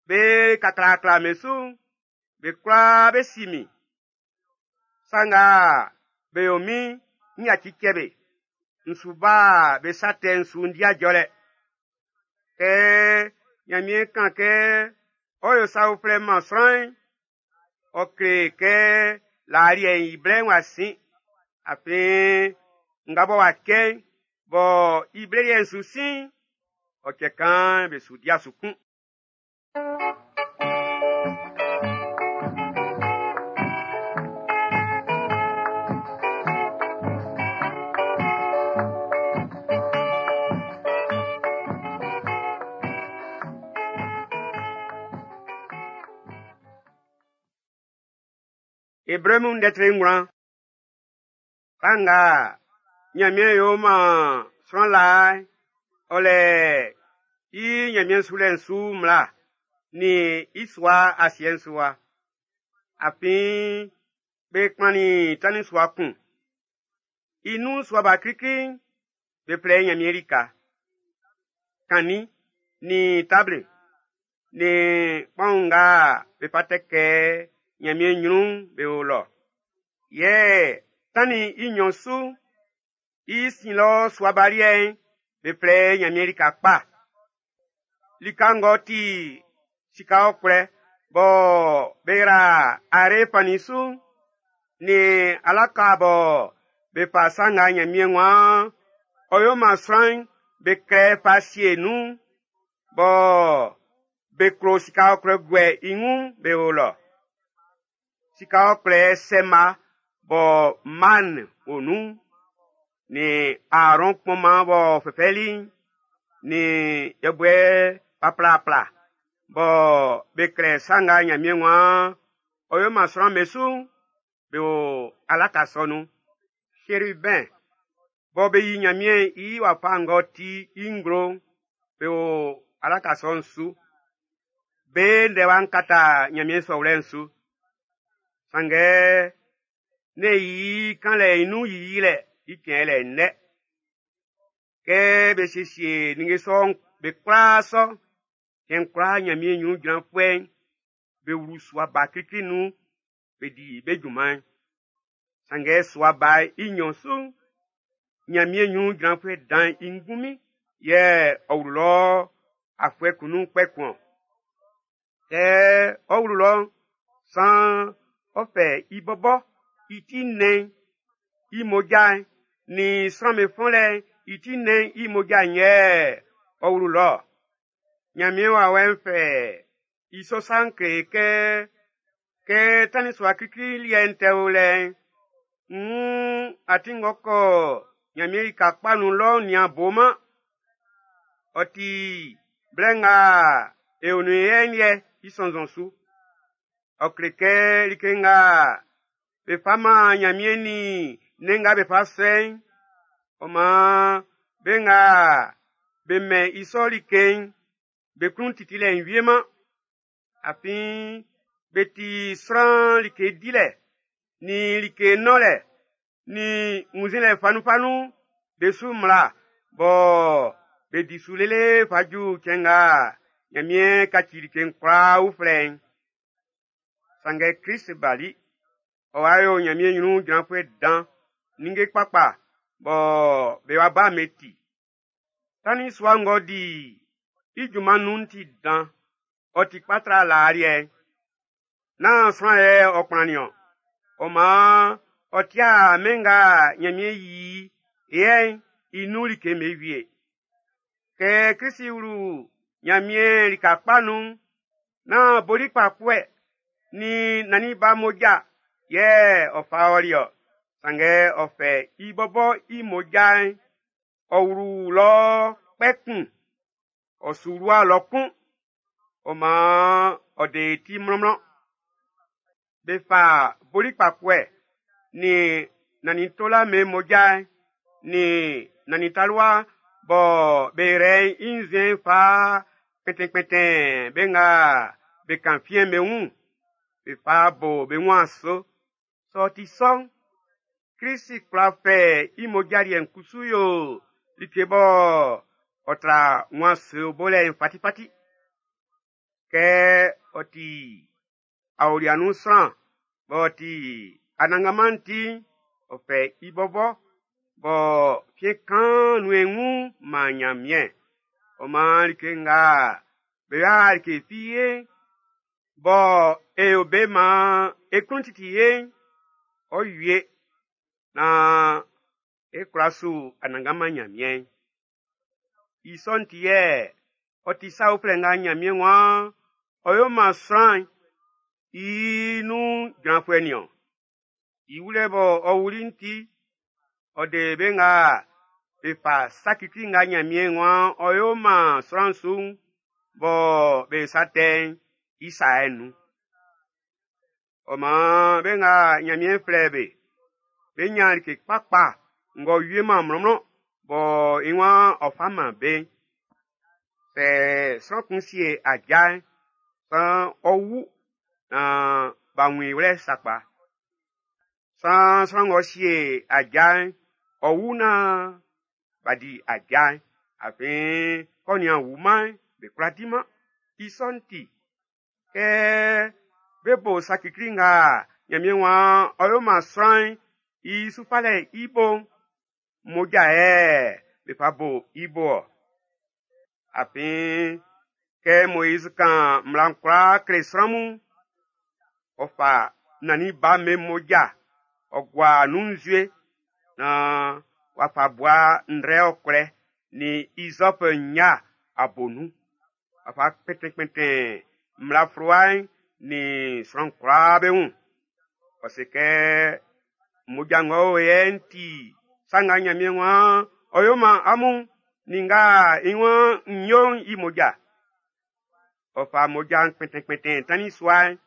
be kaklaakla be su'n, be kwlaa be si min. Sa nga be yo min'n, n yaci cɛ be. N su ba be sa tɛ'n su n di ajɔlɛ. Kɛ Ɲanmiɛn kan kɛ ɔ yo sa uflɛ man sran'n, ɔ kle kɛ laa liɛ'n i blɛ'n w'a sin. Afin nga bɔ w'a cɛ'n, bɔ i blɛ liɛ'n su sin'n, ɔ cɛ kan be su dia su kun. Ebre mun ndɛ tre ngwlan. Sa nga Ɲanmiɛn yo man sran laa'n, ɔ lɛ i Ɲanmiɛn sulɛ'n su mmla nin i sua asiɛ'n su wa. Afin be kplannin tannin sua kun. I nun sua ba klikli'n, be flɛ i Ɲanmiɛn lika. Kannin nin table nin kpaun nga be fa tɛkɛ Ɲanmiɛn ɲrun'n be o lɔ. Yɛ tannin i nɲɔn su, i sin lɔ sua ba liɛ'n, be flɛ i Ɲanmiɛn lika kpa. Lika ng'ɔ ti sika ɔkwlɛ bɔ be yra are fannin su'n, nin alaka bɔ be fa sa nga Ɲanmiɛn waan ɔ yo man sran'n be klɛ fa sie nun'n, bɔ be klo sika ɔkwlɛ guɛ i wun'n be o lɔ. Sika ɔkwlɛ sɛma bɔ man o nun'n, nin Aarɔn kpɔnman b'ɔ fɛfɛli'n, nin yɛbuɛ paplapla bɔ be klɛ sa nga Ɲanmiɛn waan ɔ yo man sran'm be su'n, be o alaka sɔ nun. Cherubin bɔ be yi Ɲanmiɛn i wafa ng'ɔ ti i nglo'n, be o alaka sɔ'n su. Be ndɛwa'n kata Ɲanmiɛn sɔwlɛ'n su. Sanngɛ ne i kanlɛ i nun yiyilɛ i cɛn lɛ nnɛ. Kɛ be siesie ninnge sɔ'n be kwlaa sɔ, cɛn kwlaa Ɲanmiɛn ɲrun jranfuɛ'n be wlu sua ba klikli nun be di be junman'n. Sanngɛ sua ba i nɲɔn su'n, Ɲanmiɛn ɲrun jranfuɛ dan'n i ngunmin yɛ ɔ wlu lɔ afuɛ kun nun kpɛ kun-ɔn. Kɛ ɔ wlu lɔ'n, saan ɔ fɛ i bɔbɔ i ti nnɛn'n i mmoja'n nin sran'm be fɔnlɛ'n i ti nnɛn'n i mmoja'n yɛ ɔ wlu lɔ. Ɲanmiɛn wawɛ'n fɛ i sɔ sa'n kle kɛ kɛ tannin sua klikli liɛ'n tɛ o lɛ'n, nn atin ng'ɔ kɔ Ɲanmiɛn lika kpa nun lɔ'n nian boman. Ɔ ti blɛ nga e o nun yɛ'n liɛ i sɔnnzɔn su. Ɔ kle kɛ like nga be fa man Ɲanmiɛn nin nnɛn nga be fa sɔ'n, ɔ maan be nga be mɛn i sɔ like'n, be klun titilɛ'n wieman. Afin be ti sran like dilɛ, nin like nɔnlɛ, nin wunnzinlɛ fanunfanun be su mmla bɔ be di su lele fa ju cɛn nga Ɲanmiɛn kaci like'n kwlaa uflɛ'n. Sanngɛ Klist bali, ɔ w'a yo Ɲanmiɛn ɲrun jranfuɛ dan ninnge kpakpa bɔ be wa ba'n be ti. Tannin sua ng'ɔ di i junman nun'n ti dan, ɔ ti kpa tra laa liɛ'n. Nán sran yɛ ɔ kplannin-ɔn. Ɔ maan ɔ tia mɛn nga Ɲanmiɛn yi yɛ'n i nun like'm be wie. Kɛ Klisi wlu Ɲanmiɛn lika kpa nun'n, nán boli kpakpuɛ nin nannin ba mmoja yɛ ɔ fa ɔli-ɔ. Sanngɛ ɔ fɛ i bɔbɔ i mmoja'n, ɔ wlu lɔ kpɛ kun, ɔ su wlu'a lɔ kun. Ɔ maan ɔ de e ti mlɔnmlɔn. Be fa boli kpakpuɛ nin nannin tola be mmoja'n nin nannin talua bɔ be rɛ i nzuɛn'n fa kpɛntɛnkpɛntɛn be nga be kan fiɛn'n be wun, be fa bo be wun aso. Sɛ ɔ ti sɔ'n, Klisi kwla fɛ i mmoja liɛ'n kusu yo like bɔ ɔ tra wun ase bolɛ'n fatifati. Kɛ ɔ ti aolia nun sran b'ɔ ti Anannganman'n ti'n, ɔ fɛ i bɔbɔ bɔ fiɛn kaan nun e wun man Ɲanmiɛn. Ɔ maan like nga Be yo'a like fi ye bɔ e yo be maan e klun titi ye'n, ɔ wie naan e kwla su Anannganman Ɲanmiɛn'n. I sɔ'n ti yɛ ɔ ti sa uflɛ nga Ɲanmiɛn waan ɔ yo man sran'n i nun jranfuɛ nin-ɔn. I wulɛ bɔ ɔ wuli'n ti, ɔ de be nga be fa sa kikli nga Ɲanmiɛn waan ɔ yo man sran'n su'n, bɔ be sa tɛ'n i sa'n nun. Ɔ maan be nga Ɲanmiɛn flɛ be, be ɲan like kpakpa ng'ɔ wieman mlɔnmlɔn bɔ i waan ɔ fa man be'n. Sɛ sran kun sie aja'n, saan ɔ wu naan b'a wun i wlɛ sakpa. Saan sran ng'ɔ sie aja'n, ɔ wu naan b'a di aja'n. Afin kɛ ɔ nian wuman'n, be kwlá diman. I sɔ'n ti, kɛ be bo sa kikli nga Ɲanmiɛn waan ɔ yo man sran'n i su falɛ'n i bo'n, mmoja yɛ be fa bo i bo-ɔ. Afin kɛ Moiz kan mmla'n kwlaa kle sran mun'n, ɔ fa nannin ba'm be mmoja ɔ gua nun nzue naan w'a fa bua ndrɛ ɔkwlɛ nin izɔp nnya a bo nun. W'a fa kpɛntɛnkpɛntɛn mmla fluwa'n nin sran kwlaa be wun. Ɔ se kɛ mmoja ng'ɔ o yɛ'n ti sa nga Ɲanmiɛn waan ɔ yo man amun nin nga i waan n yo'n i mmoja. Ɔ fa mmoja'n kpɛntɛnkpɛntɛn tannin sua'n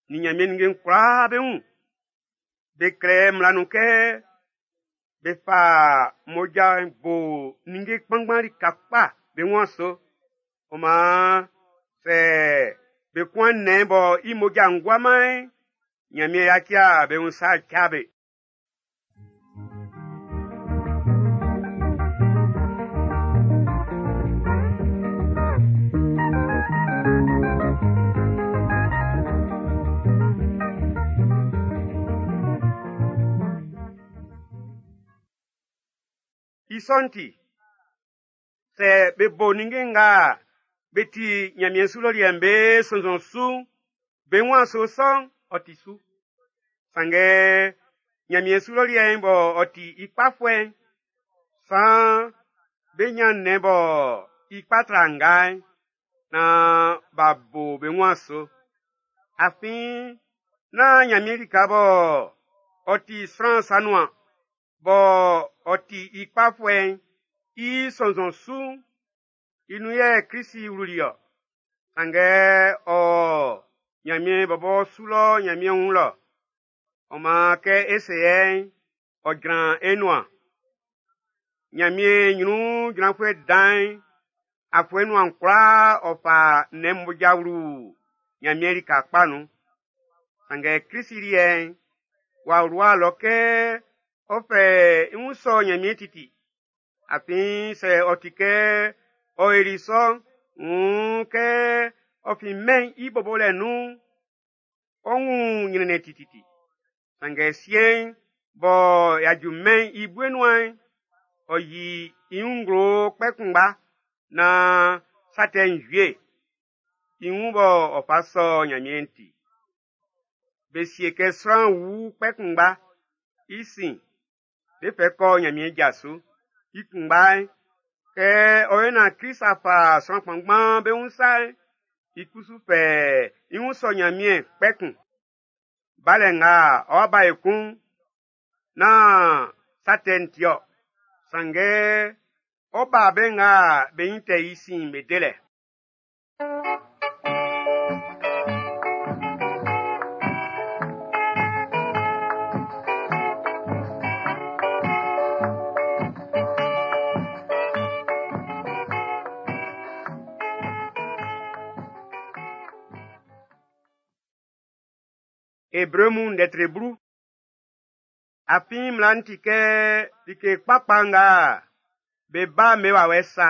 nin Ɲanmiɛn ninnge'n kwlaa be wun. Be klɛ mmla nun kɛ be fa mmoja'n bo ninnge kpanngban lika kpa be wun aso. Ɔ maan sɛ be kun nnɛn bɔ i mmoja'n guaman'n, Ɲanmiɛn yaci be wun sa cɛ be. I sɔ'n ti, sɛ be bo ninnge nga be ti Ɲanmiɛn su lɔ liɛ'n be sɔnnzɔn su'n, be wun aso sɔ'n, ɔ ti su. Sanngɛ Ɲanmiɛn su lɔ liɛ'n bɔ ɔ ti i kpafuɛ'n, saan be ɲan nnɛn bɔ i kpa tra nga'n, naan b'a bo be wun aso. Afin nán Ɲanmiɛn lika bɔ ɔ ti sran sa nuan, bɔ ɔ ti i kpafuɛ'n i sɔnnzɔn su'n, i nun yɛ Klisi wluli-ɔ. Sanngɛ ɔ Ɲanmiɛn bɔbɔ su lɔ Ɲanmiɛn wun lɔ. Ɔ maan kɛ e se yɛ'n, ɔ jran e nuan. Ɲanmiɛn ɲrun jranfuɛ dan'n, afuɛ nuan kwlaa ɔ fa nnɛn mmoja wlu Ɲanmiɛn lika kpa nun. Sanngɛ Klisi liɛ'n, w'a wlua lɔ kɛ ɔ fɛ i wun sɔ Ɲanmiɛn titi. Afin sɛ ɔ ti kɛ ɔ yoli sɔ'n, wuun kɛ ɔ fin mɛn'n i bobolɛ nun'n, ɔ wun ɲrɛnnɛn tititi. Sanngɛ siɛn'n, bɔ y'a ju mɛn'n i bue nuan'n, ɔ yi i wun nglo kpɛ kunngba naan sa tɛ'n wie. I wun bɔ ɔ fa sɔ Ɲanmiɛn ti. Be sie kɛ sran wu kpɛ kunngba. I sin, be fɛ kɔ Ɲanmiɛn ja su. I kunngba'n, kɛ ɔ yo naan Klist a fa sran kpanngban be wun sa'n, i kusu fɛ i wun sɔ Ɲanmiɛn kpɛ kun. Balɛ nga ɔ́ bá ekun'n, nán sa tɛ'n ti-ɔ. Sanngɛ ɔ ba be nga be nyin tɛ i sin'n be delɛ. Ebre mun ndɛtre blu. Afin mmla'n ti kɛ like kpakpa nga be ba be wawɛ sa.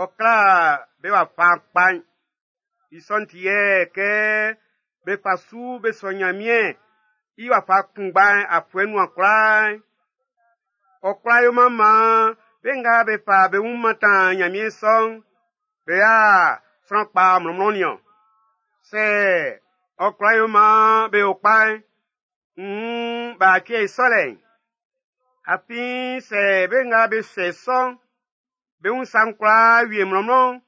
Ɔ kla be wafa kpa'n. I sɔ'n ti yɛ kɛ be fa su be sɔ Ɲanmiɛn i wafa kunngba'n afuɛ nuan kwlaa'n, ɔ kwlá yoman maan be nga be fa be wun mantan Ɲanmiɛn sɔ'n, Be a sran kpa mlɔnmlɔn niɔn. Sɛ ɔ kwla yo maan be yo kpa'n, nn b'a tie i sɔlɛ'n. Afin sɛ be nga be sɛ sɔ'n, be wun sa'n kwlaa wie mlɔnmlɔn'n,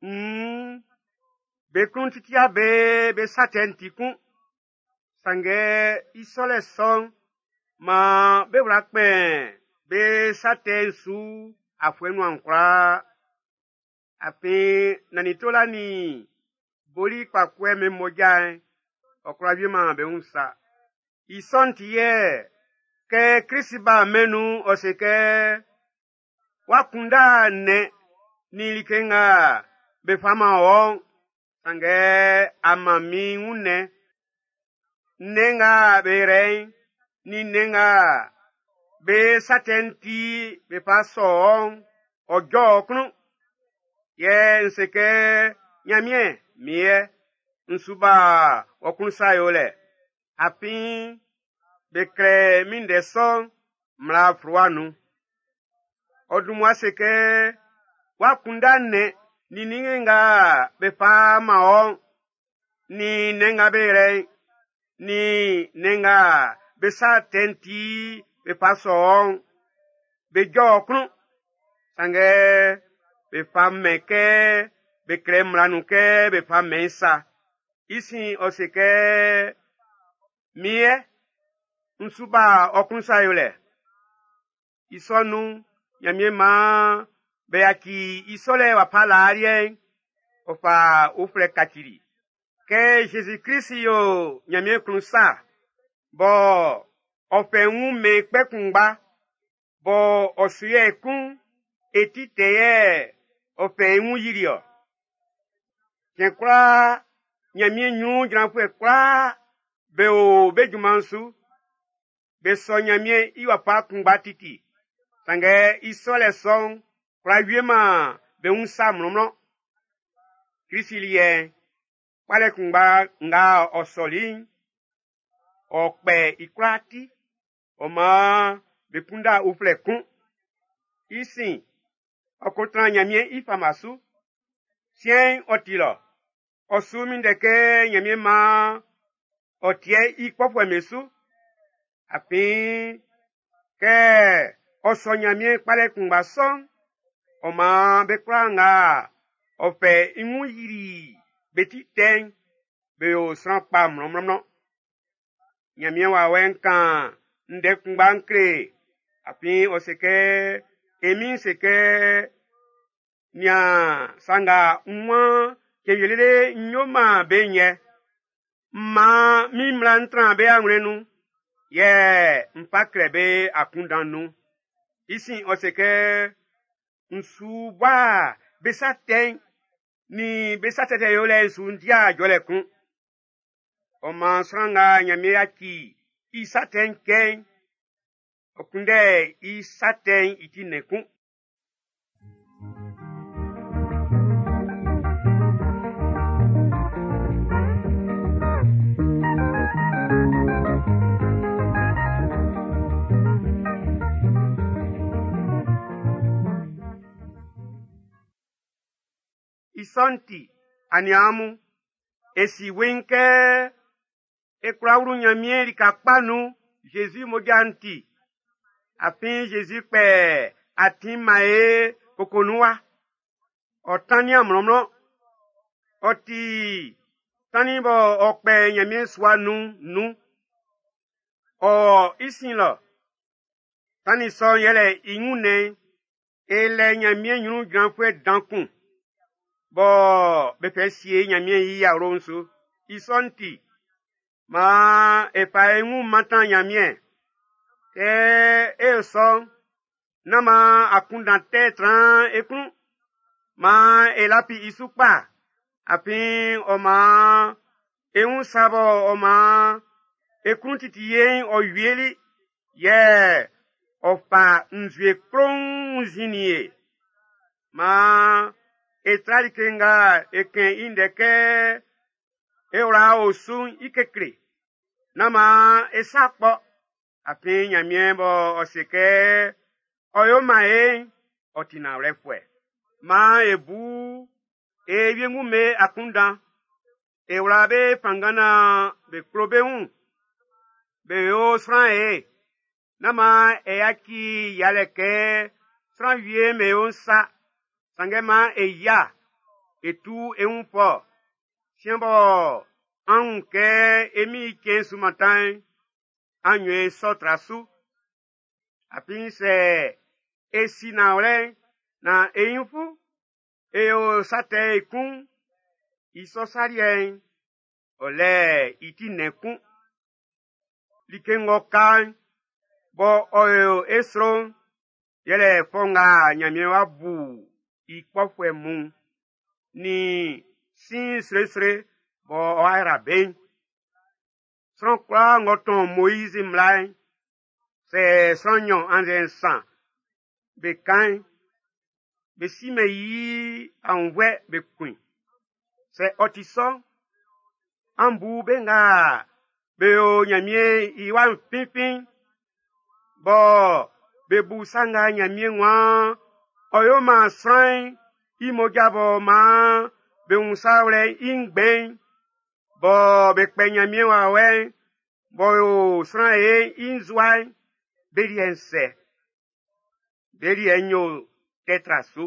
nn be klun titia be be sa tɛ'n ti kun. Sanngɛ i sɔlɛ sɔ'n, maan be wla kpɛn be sa tɛ'n su afuɛ nuan kwlaa. Afin nannin tola nin boli kpakuɛ'm be mmoja'n, ɔ kwla wieman be wun sa. I sɔ'n ti yɛ kɛ Krist ba mɛn'n nun'n, ɔ se kɛ, w'a kunndɛ nnɛn nin like nga be fa man wɔ'n, sanngɛ a man min wunnɛn. Nnɛn nga be rɛ'n, nin nnɛn nga be sa tɛ'n ti be fa sɔ wɔ'n, ɔ jɔ ɔ klun. Yɛ n se kɛ, Ɲanmiɛn, min yɛ, n su ba ɔ klun sa yolɛ. Afin be klɛ min ndɛ sɔ'n mmla fluwa nun. Ɔ dun mmua se kɛ, w'a kunndɛ nnɛn nin ninnge nga be fa man wɔ'n, nin nnɛn nga be rɛ'n, nin nnɛn nga be sa tɛ'n ti be fa sɔ wɔ'n, be jɔ ɔ klun. Sanngɛ be fa mɛn kɛ be klɛ mmla nun kɛ be fa mɛn sa. I sin ɔ se kɛ, min yɛ, n su ba ɔ klun sa yolɛ. I sɔ nun'n, Ɲanmiɛn maan be yaci i sɔlɛ wafa laa liɛ'n, ɔ fa uflɛ kacili. Kɛ Zezi Klist yo Ɲanmiɛn klun sa, bɔ ɔ fɛ wun mɛn kpɛ kunngba, bɔ ɔ su yɛ kun, e ti tɛ yɛ ɔ fɛ i wun yili ɔ. Cɛn kwlaa, Ɲanmiɛn ɲrun jranfuɛ kwlaa be o be junman'n su. Be sɔ Ɲanmiɛn i wafa kunngba titi. Sanngɛ i sɔlɛ sɔ'n kwla wieman be wun sa mlɔnmlɔn. Krist liɛ'n, kpalɛ kunngba nga ɔ sɔli'n, ɔ kpɛ i kwlaa ti. Ɔ maan be kunda uflɛ kun. I sin, ɔ ko tran Ɲanmiɛn i fama su. Siɛn'n ɔ ti lɔ. Ɔ su minndɛ kɛ Ɲanmiɛn maan ɔ tiɛ i kpɔfuɛ'm be su. Afin kɛ ɔ sɔ Ɲanmiɛn kpalɛ kunngba sɔ'n, ɔ maan be kwlaa nga ɔ fɛ i wun yili be ti tɛ'n, be yo sran kpa mlɔnmlɔnmlɔn. Ɲanmiɛn wawɛ'n kan ndɛ kunngba'n kle, afin ɔ se kɛ, e Min'n se kɛ, nian sa nga n waan cɛn wie lele n yo man be'n yɛ. M maan min mmla'n tran be awlɛn'n nun, yɛ n fa klɛ be akunndan nun. I sin ɔ se kɛ, n su bua be sa tɛ'n nin be sa tɛtɛ yolɛ'n su n dia jɔlɛ kun. Ɔ maan sran nga Ɲanmiɛn yaci i sa tɛ'n cɛ'n, ɔ kunndɛ i sa tɛ'n i ti nnɛn kun. I sɔ'n ti, aniaan mun, e si weiin kɛ e kwla wlu Ɲanmiɛn lika kpa nun Zezi mmoja'n ti. Afin Zezi kpɛ atin man e koko nun wa. Ɔ tannin mlɔnmlɔn. Ɔ ti tannin bɔ ɔ kpɛ Ɲanmiɛn sua nun nun. Ɔ i sin lɔ. Tannin sɔ'n yɛlɛ i wunnɛn'n. E lɛ Ɲanmiɛn ɲrun jranfuɛ dan kun. Bɔ be fɛ sie Ɲanmiɛn i awlo'n su. I sɔ'n ti, maan e fa e wun mantan Ɲanmiɛn. Kɛ e yo sɔ'n, nán maan akunndan tɛ tran e klun. Maan e lafi i su kpa, afin ɔ maan e wun sa bɔ ɔ maan e klun titi ye'n ɔ wieli, yɛ ɔ fa nzue kploun wunnzinnin e. Maan e tra like nga e kɛn i ndɛ kɛ e wla o su'n i kekle. Nán maan e sa kpɔ, afin Ɲanmiɛn bɔ ɔ se kɛ ɔ yo man e'n, ɔ ti nanwlɛfuɛ. Maan e bu E wiengu'm be akunndan, e wla be fanngan naan be klo be wun, be yo sran ye. Nán maan e yaci yialɛ kɛ sran wie'm be yo'n sa, sanngɛ maan e yia, e tu e wun fɔ. Siɛn bɔ an wun kɛ e Min'n i cɛn'n su mantan'n, an yo i sɔ tra su. Afin sɛ e si nanwlɛ'n naan e ɲinfu e yo sa tɛ ekun'n, i sɔ sa liɛ'n, ɔ lɛ i ti nnɛn kun. Like ng'ɔ ka'n, bɔ ɔ yo e sro'n, yɛlɛ fɔ nga Nyanmiɛn w'a bu i kpɔfuɛ mun nin sin sresre bɔ ɔ'a yra be'n. Sran kwlaa ng'ɔ tɔn Moizi mmla'n, sɛ sran nnyɔn annzɛ nsan be kan'n, be simɛn i aunnvuɛ be kun i. Sɛ ɔ ti sɔ'n, an bu be nga be yo Nyanmiɛn i wa'n finfin, bɔ be bu sa nga Nyanmiɛn waan ɔ yo man sran'n i mmoja b'ɔ maan be wun sa wlɛ'n i ngbɛn'n, bɔ be kpɛ Nyanmiɛn wawɛ'n b'ɔ yo sran ye'n i nzua'n, be liɛ'n sɛ. Be liɛ'n yo tɛ tra su.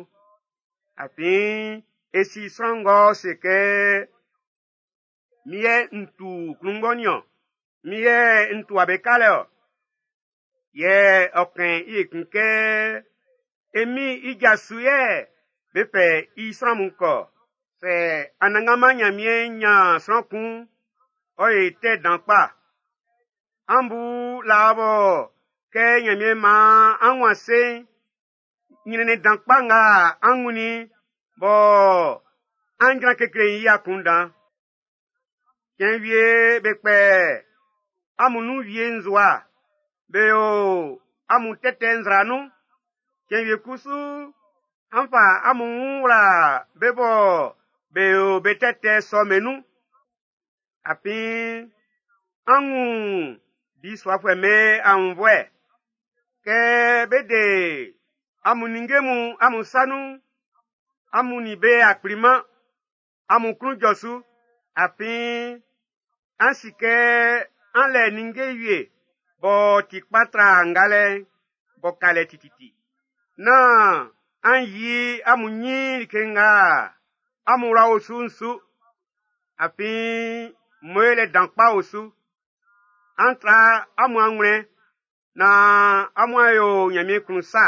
Afin e si sran ng'ɔ se kɛ, min yɛ n tu klunngbɔ nin-ɔn, min yɛ n tua be kalɛ-ɔ. Yɛ ɔ kɛn i ekun kɛ, e Min'n i ja su yɛ be fɛ i sran mun kɔ. Sɛ Anannganman Nyanmiɛn nyan sran kun'n, ɔ yi tɛ dan kpa. An bu laa bɔ kɛ Nyanmiɛn maan an wun ase'n, nyrɛnnɛn dan kpa nga an wunnin bɔ an jran kekle'n i akunndan. Cɛn wie be kpɛ amun nun wie nzowa, be yo amun tɛtɛ nzra nun. Cɛn wie kusu, an fa amun wun wla be bɔ be yo be tɛtɛ sɔ'm be nun. Afin an wun bisuafuɛ'm be aunnvuɛ. Kɛ be de amun ninnge mun amun sa nun'n, amun nin be a kpliman, amun klun jɔ su. Afin an si kɛ an lɛ ninnge wie b'ɔ ti kpa tra ngalɛ'n b'ɔ ka lɛ tititi. Nán an yi amun nyin like nga amun wla o su'n su. Afin moelɛ dan kpa o su. An tra amun anwlɛn naan amun a yo Nyanmiɛn klun sa,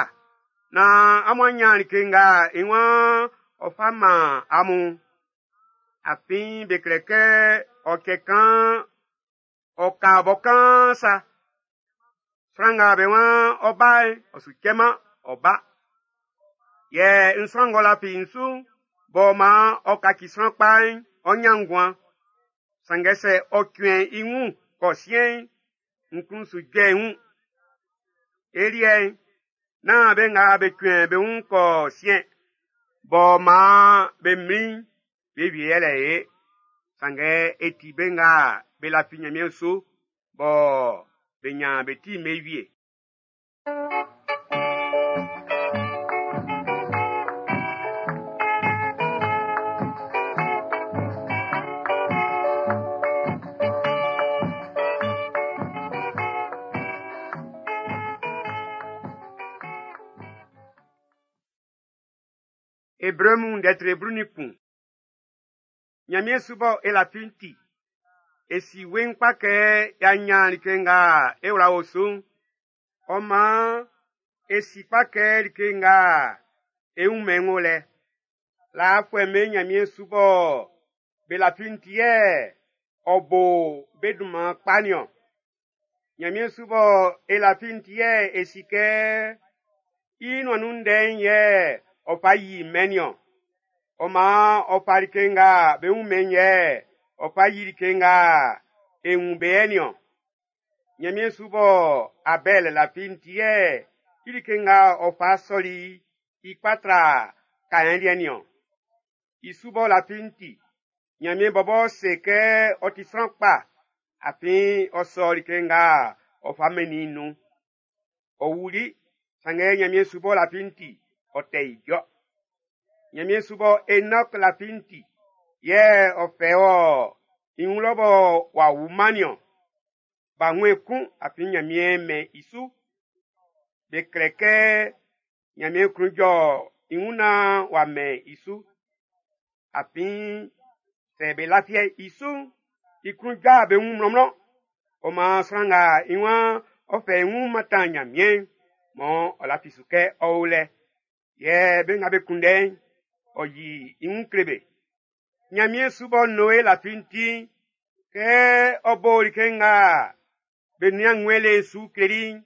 naan amun a nyan like nga i waan ɔ fa man amun. Afin be klɛ kɛ ɔ cɛ kan ɔ ka bɔ kaan sa. Sran nga be waan ɔ ba'n, ɔ su cɛman, ɔ ba. Yɛ n sran ng'ɔ lafi n su'n, b'ɔ maan ɔ kaci sran kpa'n, ɔ nyan nguan. Sanngɛ sɛ ɔ cuɛn i wun kɔ siɛn'n, n klun su jɔ i wun. E liɛ'n, nán be nga be cuɛn be wun kɔ siɛn, b'ɔ maan be mlin'n, be wie yɛlɛ e. Sanngɛ e ti be nga be lafi Nyanmiɛn su, bɔ be nyan be ti'n be wie. Ebre mun ndɛ tre blu nin kun. Nyanmiɛn su bɔ e lafi'n ti, e si weiin kpa kɛ y'a nyan like nga e wla o su'n. Ɔ maan e si kpa kɛ like nga e wun mɛn'n wo lɛ. Laafuɛ'm be Nyanmiɛn su bɔ be lafi'n ti yɛ ɔ bo be dunman kpa nin-ɔn. Nyanmiɛn su bɔ e lafi'n ti yɛ e si kɛ i nuan nun ndɛ'n yɛ ɔ fa yi mɛn'n niɔn. Ɔ maan ɔ fa like nga be wun mɛn'n yɛ ɔ fa yi like nga e wun be yɛ niɔn. Nyanmiɛn su bɔ Abɛl lafi'n ti yɛ i like nga ɔ fa sɔli i kpa tra Kaɛn liɛ'n niɔn. I su bɔ lafi'n ti, Nyanmiɛn bɔbɔ se kɛ ɔ ti sran kpa, afin ɔ sɔ like nga ɔ fa mɛnnin i'n nun. Ɔ wuli, sanngɛ Nyanmiɛn su bɔ lafi'n ti, ɔ tɛ ijɔ. Ɲanmiɛn su bɔ Enɔk lafi'n ti, yɛ ɔ fɛ wɔ i wun lɔ bɔ w'a wuman niɔn. B'a wun ekun afin Ɲanmiɛn mɛn i su. Be klɛ kɛ Ɲanmiɛn klun jɔ i wun naan w'a mɛn i su. Afin sɛ be lafi i su'n, i klun jɔ be wun mlɔnmlɔn. Ɔ maan sran nga i waan ɔ fɛ i wun mantan Ɲanmiɛn'n, mɔ ɔ lafi su kɛ ɔ o lɛ. Yɛ be nga be kunndɛ'n, ɔ yi i wun kle be. Ɲanmiɛn su bɔ Noe lafi'n ti'n, kɛ ɔ bo like nga be nian ngwlɛlɛ'n su kleli'n,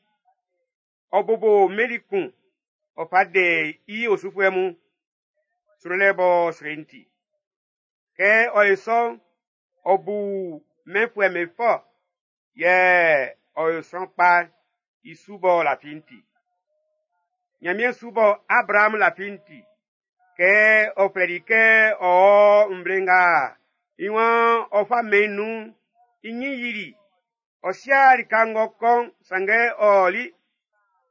ɔ bobo mmeli kun, ɔ fa de i osufuɛ mun, srolɛ b'ɔ sro'n ti. Kɛ ɔ ye sɔ'n, ɔ bu mɛnfuɛ'm be fɔ, yɛ ɔ yo sran kpa i su b'ɔ lafi'n ti. Ɲanmiɛn su bɔ Abraham lafi'n ti, kɛ ɔ flɛli kɛ ɔ ɔ nvle nga i waan ɔ fa mɛn nun'n, i ɲin yili. Ɔ sia lika ng'ɔ kɔ'n, sanngɛ ɔ ɔli.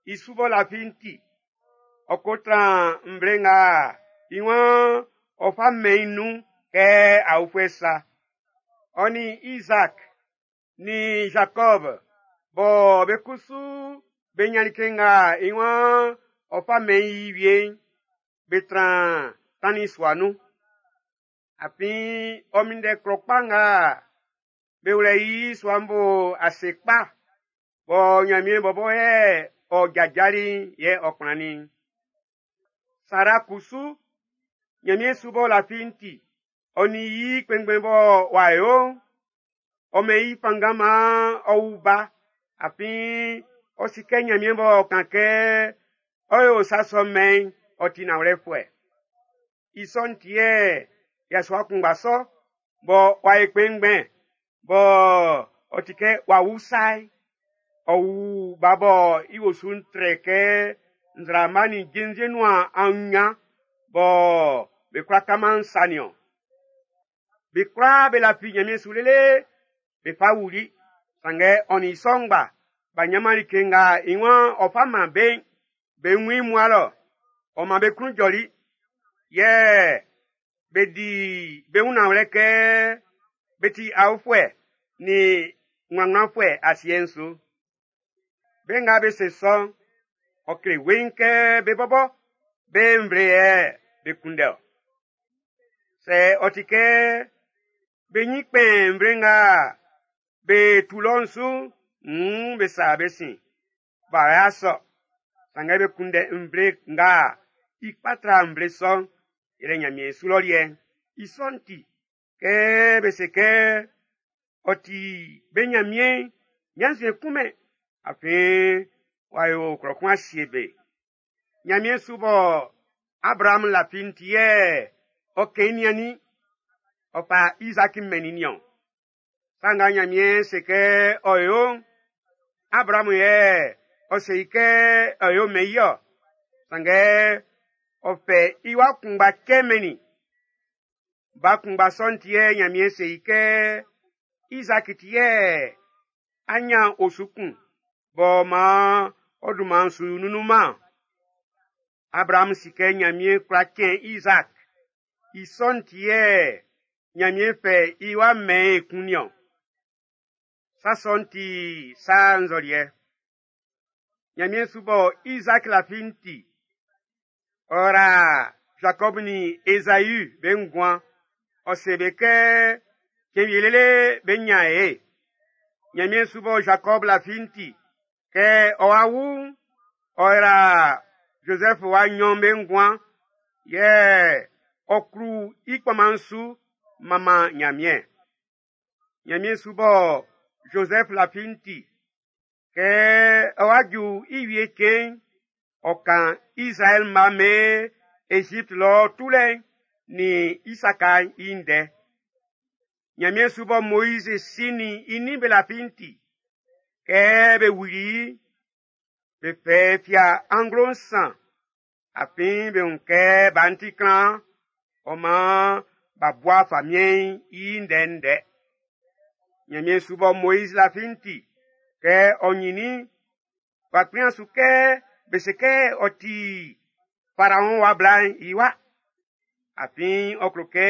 I su b'ɔ lafi'n ti, ɔ ko tran nvle nga i waan ɔ fa mɛn nun kɛ aofuɛ sa. Ɔ nin Isaac nin Jacob bɔ be kusu be nyan like nga i waan ɔ fa mɛn i wie'n, be tran tannin sua nun. Afin ɔ minndɛ klɔ kpa nga be wlɛ i sua'n bo ase kpa, bɔ Ɲanmiɛn bɔbɔ yɛ ɔ jajali'n yɛ ɔ kplannin. Sara kusu, Ɲanmiɛn su b'ɔ lafi'n ti, ɔ nin i kpɛnngbɛn bɔ w'a yo'n, ɔ mɛn i fanngan maan ɔ wu ba, afin ɔ si kɛ Ɲanmiɛn b'ɔ kan kɛ ɔ yo sa sɔ mɛn'n, ɔ ti nanwlɛfuɛ. I sɔ'n ti yɛ yasua kunngba sɔ, bɔ w'a ye kpɛnngbɛn, bɔ ɔ ti kɛ w'a wu sa'n, ɔ wu ba bɔ i osu'n trɛ kɛ nzraama nin jenvie nuan aunɲan bɔ be kwlá kaman sa niɔn. Be kwlaa be lafi Ɲanmiɛn su lele be fa wuli, sanngɛ ɔ nin i sɔ ngba, b'a ɲanman like nga i waan ɔ fa man be'n, be wun i mua lɔ, ɔ man be klun jɔli. Yɛ be di be wun nanwlɛ kɛ be ti aofuɛ nin nglannglanfuɛ asiɛ'n su. Be nga be se sɔ'n, ɔ kle weiin kɛ be bɔbɔ be nvle yɛ be kunndɛ ɔ. Sɛ ɔ ti kɛ be ɲin kpɛn nvle nga be tu lɔ'n su'n, nn be sa be sin. B'a ya sɔ. Sanngɛ be kunndɛ nvle nga i kpa tra nvle sɔ'n, yɛlɛ Ɲanmiɛn su lɔ liɛ'n. I sɔ'n ti, kɛ be se kɛ ɔ ti be Ɲanmiɛn, ɲannzuɛn kunmɛn, afin w'a yo klɔ kun asie be. Ɲanmiɛn su bɔ Abraham lafi'n ti yɛ ɔ kɛn i niannin, ɔ fa Isaac mɛnnin niɔn. Sa nga Ɲanmiɛn se kɛ ɔ yo'n, Abraham yɛ ɔ se i kɛ ɔ yo mɛn i ɔ. Sanngɛ ɔ fɛ i wa kunngba cɛ mɛnnin. Ba kunngba sɔ'n ti yɛ Ɲanmiɛn se i kɛ Isaac ti yɛ a nyan osu kun, b'ɔ maan ɔ dunman su nunnunman. Abraham si kɛ Ɲanmiɛn kwla cɛn Isaac. I sɔ'n ti yɛ Ɲanmiɛn fɛ i wa mɛn ekun niɔn. Sa sɔ'n ti sa nzɔliɛ. Ɲanmiɛn su bɔ Isaac lafi'n ti, ɔ ra Jacob nin Esaü be nguan. Ɔ se be kɛ cɛn wie lele be nyan e. Ɲanmiɛn su bɔ Jacob lafi'n ti, kɛ ɔ wa wu'n, ɔ ra Joseph wa nɲɔn be nguan, yɛ ɔ klu i kpɔnman'n su manman Ɲanmiɛn. Ɲanmiɛn su bɔ Joseph lafi'n ti, kɛ ɔ wa ju i wie cɛn'n, ɔ kan Israɛl mma mɛn Egypte lɔ tulɛ'n nin i saka'n i ndɛ. Ɲanmiɛn su bɔ Moiz si nin i nin be lafi'n ti, kɛ be wuli be fɛ fia anglo nsan, afin be wun kɛ ba'n ti klan, ɔ maan b'a bua famiɛn'n i ndɛndɛ. Ɲanmiɛn su bɔ Moiz lafi'n ti, kɛ ɔ ɲinnin, w'a kplin su kɛ be se kɛ ɔ ti Faraɔn wa bla'n i wa. Afin ɔ klo kɛ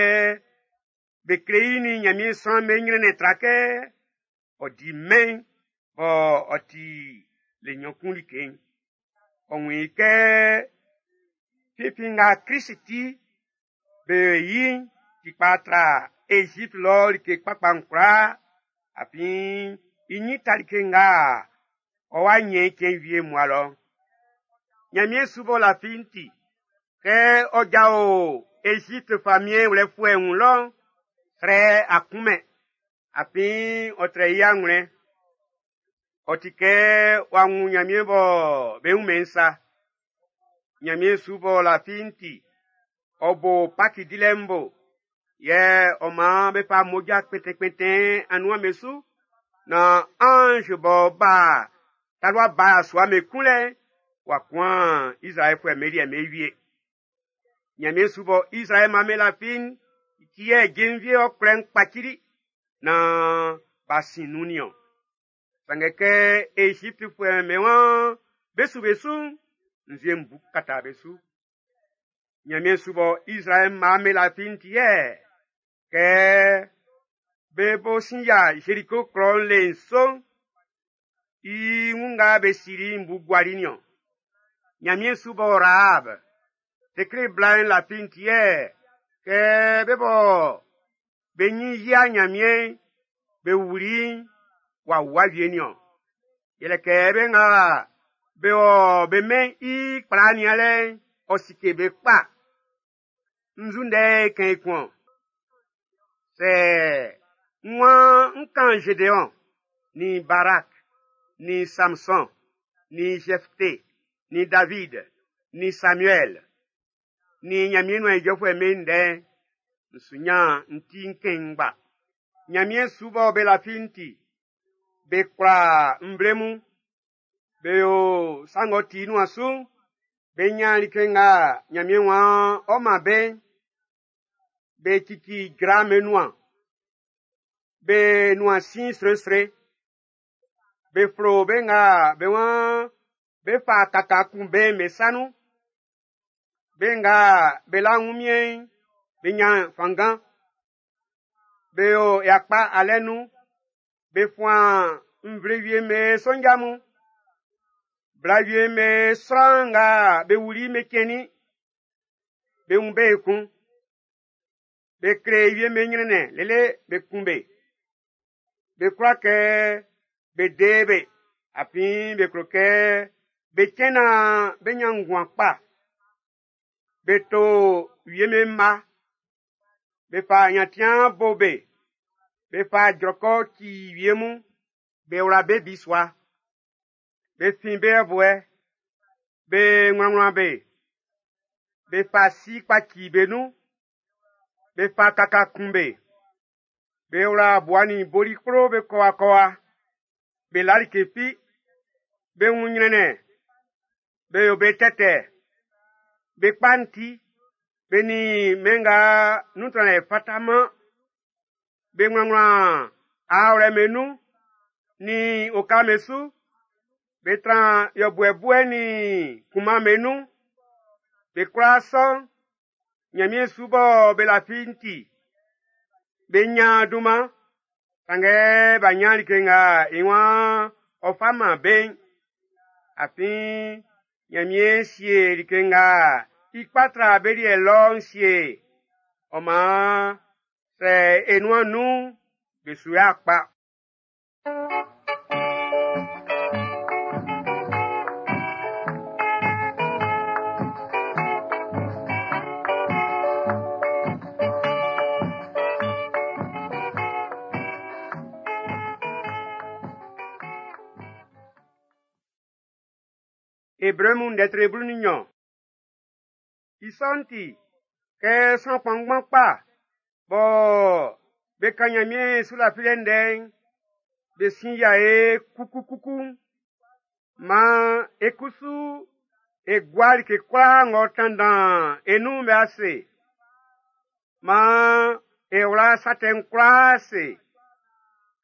be kle i nin Ɲanmiɛn sran'm be ɲrɛnnɛn tra kɛ ɔ di mɛn'n bɔ ɔ ti le nɲɔn kun like'n. Ɔ wun i kɛ finfin nga Krist ti be yi'n ti kpa tra Egypte lɔ like kpakpa'n kwlaa, afin i ɲin ta like nga ɔ wa ɲɛn i cɛn wie mua lɔ. Ɲanmiɛn su b'ɔ lafi'n ti, kɛ ɔ jao Egypte famiɛn wlɛfuɛ'n wun lɔ'n, srɛ a kunmɛn, afin ɔ trɛ i anwlɛn. Ɔ ti kɛ w'a wun Ɲanmiɛn bɔ be wunmɛn sa. Ɲanmiɛn su b'ɔ lafi'n ti, ɔ bo Paki dilɛ'n bo, yɛ ɔ maan be fa mmoja kpɛntɛnkpɛntɛn anuan be su, na ange b'ɔ ba talua ba sua me kunlɛ'n, w'a kuan Izraɛlfuɛ'm be liɛ'n be wie. Ɲanmiɛn su bɔ Izraɛl man be lafi'n, i ti yɛ jenvie ɔkwlɛ'n kpacili, na b'a sin nun nin-ɔn. Sanngɛ kɛ Eziptfuɛ'm be waan be su be su'n, nzue'n bu kata be su. Ɲanmiɛn su bɔ Izraɛl man be lafi'n ti yɛ kɛ be bo sin yia Zeriko klɔ'n le nso'n, i wun nga be sili'n bu guali nin-ɔn. Ɲanmiɛn su bɔ Rahab, tekle bla'n lafi'n ti yɛ kɛ be bɔ be ɲin yia Ɲanmiɛn'n be wuli'n w'a wua wie nin-ɔn. Yɛlɛ kɛ be nga be wɔ be mɛn i kpla nianlɛ'n, ɔ sike be kpa. Nzu ndɛ kɛn i kun-ɔn. Sɛ n waan n kan Gédéon, nin Barak, nin Samson, nin Jephthé, nin David, nin Samuel, nin Ɲanmiɛn nuan ijɔfuɛ'm be ndɛ'n, n su ɲan n ti n kɛn i ngba. Ɲanmiɛn su bɔ be lafi'n ti, be kwla nvle mun, be yo sa ng'ɔ ti i nuan su'n, be ɲan like nga Ɲanmiɛn waan ɔ man be'n, be cici jra be nuan, be nuan sin sresre, be flo be nga be waan be fa kaka kun be'n be sa nun, be nga be la wunmiɛn'n be ɲan fanngan, be yo yakpa alɛ nun, be fuan nvle wie'm be sonja mun, bla wie'm be sran nga be wuli'n be cɛnnin, be wun be ekun. Be kle wie'm be ɲrɛnnɛn lele be kun be. Be kwla kɛ be de be, afin be klo kɛ be cɛn naan be ɲan nguan kpa. Be to wie'm be mma, be fa nyantiaan bo be, be fa jrɔkɔ ci wie mun, be wla be bisua. Be fin be yɛbuɛ, be wlanwlan be, be fa si kpaci be nun, be fa kaka kun be, be wla bua nin boli kplo be kɔwakɔwa, be la like fi, be wun ɲrɛnnɛn, be yo be tɛtɛ, be kpa'n ti, be nin mɛn nga nun tranlɛ fataman, be wlanwlan aawlɛ'm be nun, nin oka'm be su, be tran yɔbuɛ nin kunman'm be nun. Be kwlaa sɔ'n, Ɲanmiɛn su bɔ be lafi'n ti, be ɲan dunman, sanngɛ b'a ɲan like nga i waan ɔ fa man be'n. Afin Ɲanmiɛn sie like nga i kpa tra be liɛ lɔ'n sie. Ɔ maan sɛ e nuan nun'n, be su y'a kpa. Ebre mun ndɛ blu nin nɲɔn. I sɔ'n ti, kɛ sran kpanngban kpa bɔ be kan Ɲanmiɛn su lafilɛ ndɛ'n, be sin yia e kukukuku. Maan e kusu e gua like kwlaa ng'ɔ tanndan e nun'n be ase. Maan e wla sa tɛ'n kwlaa ase.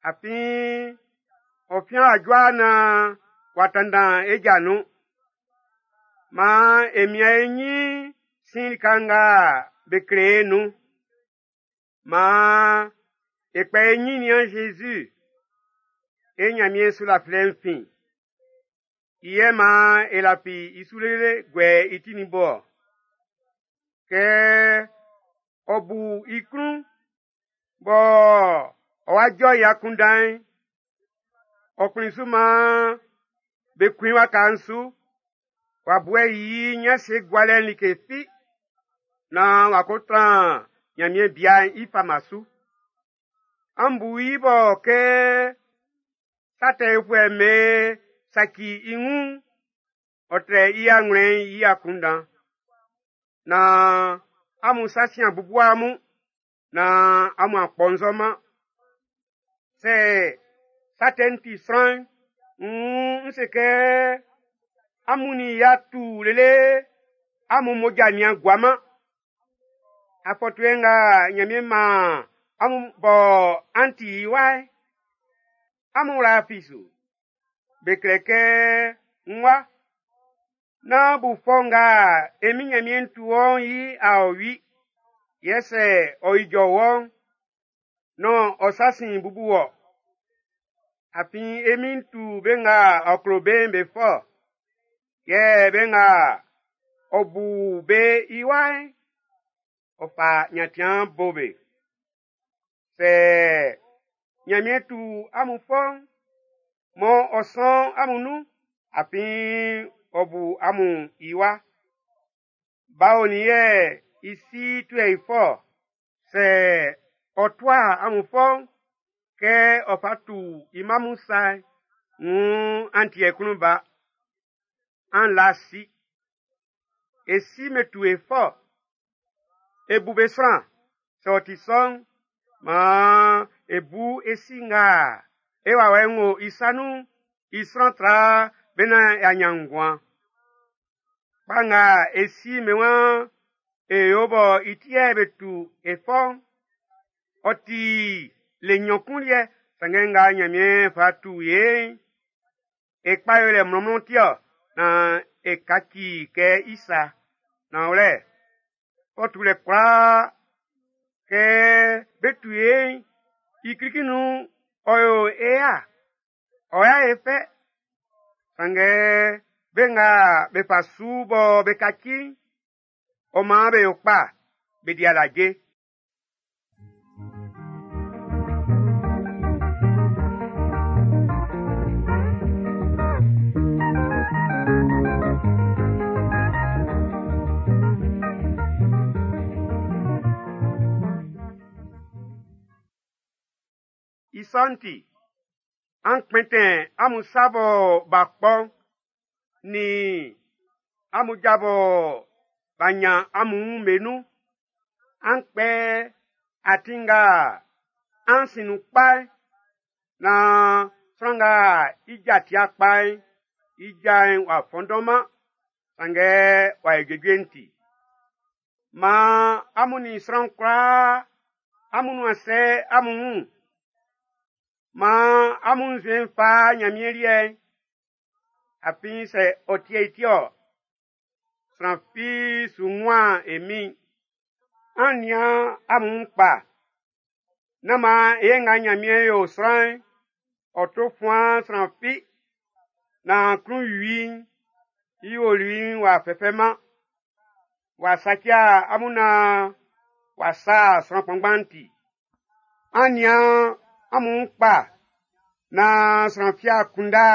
Afin ɔ fian ajua naan w'a tanndan e ja nun. Maan e mian e ɲin sin lika nga be kle e nun. Maan e kpɛ e ɲin nian Zezi, e Ɲanmiɛn sulafilɛ'n fin. I yɛ maan e lafi i su lele guɛ i ti nin bo ɔ. Kɛ ɔ bu i klun bɔ ɔ wa jɔ i akunndan'n, ɔ kplin su maan be kun i waka'n su, w'a buɛ i ɲanse gualɛ'n like fi, naan w'a ko tran Ɲanmiɛn bia'n i fama su. An bu i bɔ kɛ sa tɛ yofuɛ'm be saci i wun'n, ɔ trɛ i anwlɛn'n i akunndan. Naan amun sa sin a bubu amun, naan amun a kpɔnzɔman. Sɛ sa tɛ'n ti sran'n, nn n se kɛ amun nin i y'a tu lele amun mmoja nin a guaman. Afɔtuɛ nga Ɲanmiɛn maan amun bɔ an ti i wa'n, amun wla fi su. Be klɛ kɛ n wa, nán bu fɔ nga e Min Ɲanmiɛn tu wɔ'n i aɔwi, yɛ sɛ ɔ ijɔ wɔ'n, nán ɔ sa sin bubu wɔ. Afin e Min'n tu be nga ɔ klo be'n be fɔ, yɛ be nga ɔ bu be i wa'n, ɔ fa nyantiaan bo be. Sɛ Ɲanmiɛn tu amun fɔ'n, mɔ ɔ sɔn amun nun, afin ɔ bu amun i wa. Ba onin yɛ i si tuɛ i fɔ? Sɛ ɔ tua amun fɔ'n, kɛ ɔ fa tu i mma mun sa'n, wuun an ti klun ba. An la si. E si me tu e fɔ. E bu be sran. Sɛ ɔ ti sɔ'n, maan e bu e si nga e wawɛ'n wo i sa nun'n i sran tra be naan y'a ɲan nguan. Kpa nga e si me waan e yo bɔ i ti yɛ be tu e fɔ'n, ɔ ti le nɲɔn kun liɛ, sanngɛ nga Ɲanmiɛn fa tu e'n, e kpa yolɛ mlɔnmlɔn ti ɔ, naan e kaci kɛ i sa. Nanwlɛ, fɔ tulɛ kwlaa kɛ be tu e'n, i klikli nun'n ɔ yo e ya, ɔ ya e fɛ. Sanngɛ be nga be fa su bɔ be kaci'n, ɔ maan be yo kpa, be di alaje. I sɔ'n ti, an kpɛntɛn amun sa bɔ b'a kpɔ'n, nin amun ja bɔ b'a nyan amun wun'n be nun. An kpɛ atin nga an sin nun kpa'n, naan sran nga i ja ti'a kpa'n, i ja'n w'a fɔnndɔnman, sanngɛ w'a yo juejue'n ti. Maan amun nin sran kwlaa amun nuan sɛ amun wun. Maan amun nzuɛn'n fa Ɲanmiɛn liɛ'n. Afin sɛ ɔ ti'ɛ i ti-ɔ, sran fi su wunman e Min'n. An nian amun wun kpa. Nán maan ye nga Ɲanmiɛn yo sran'n, ɔ to fuan sran fi, naan klunwi'n i olui'n w'a fɛfɛman, w'a saci amun naan w'a sa sran kpanngban ti. An nian amun wun kpa naan sran fi a kunndɛ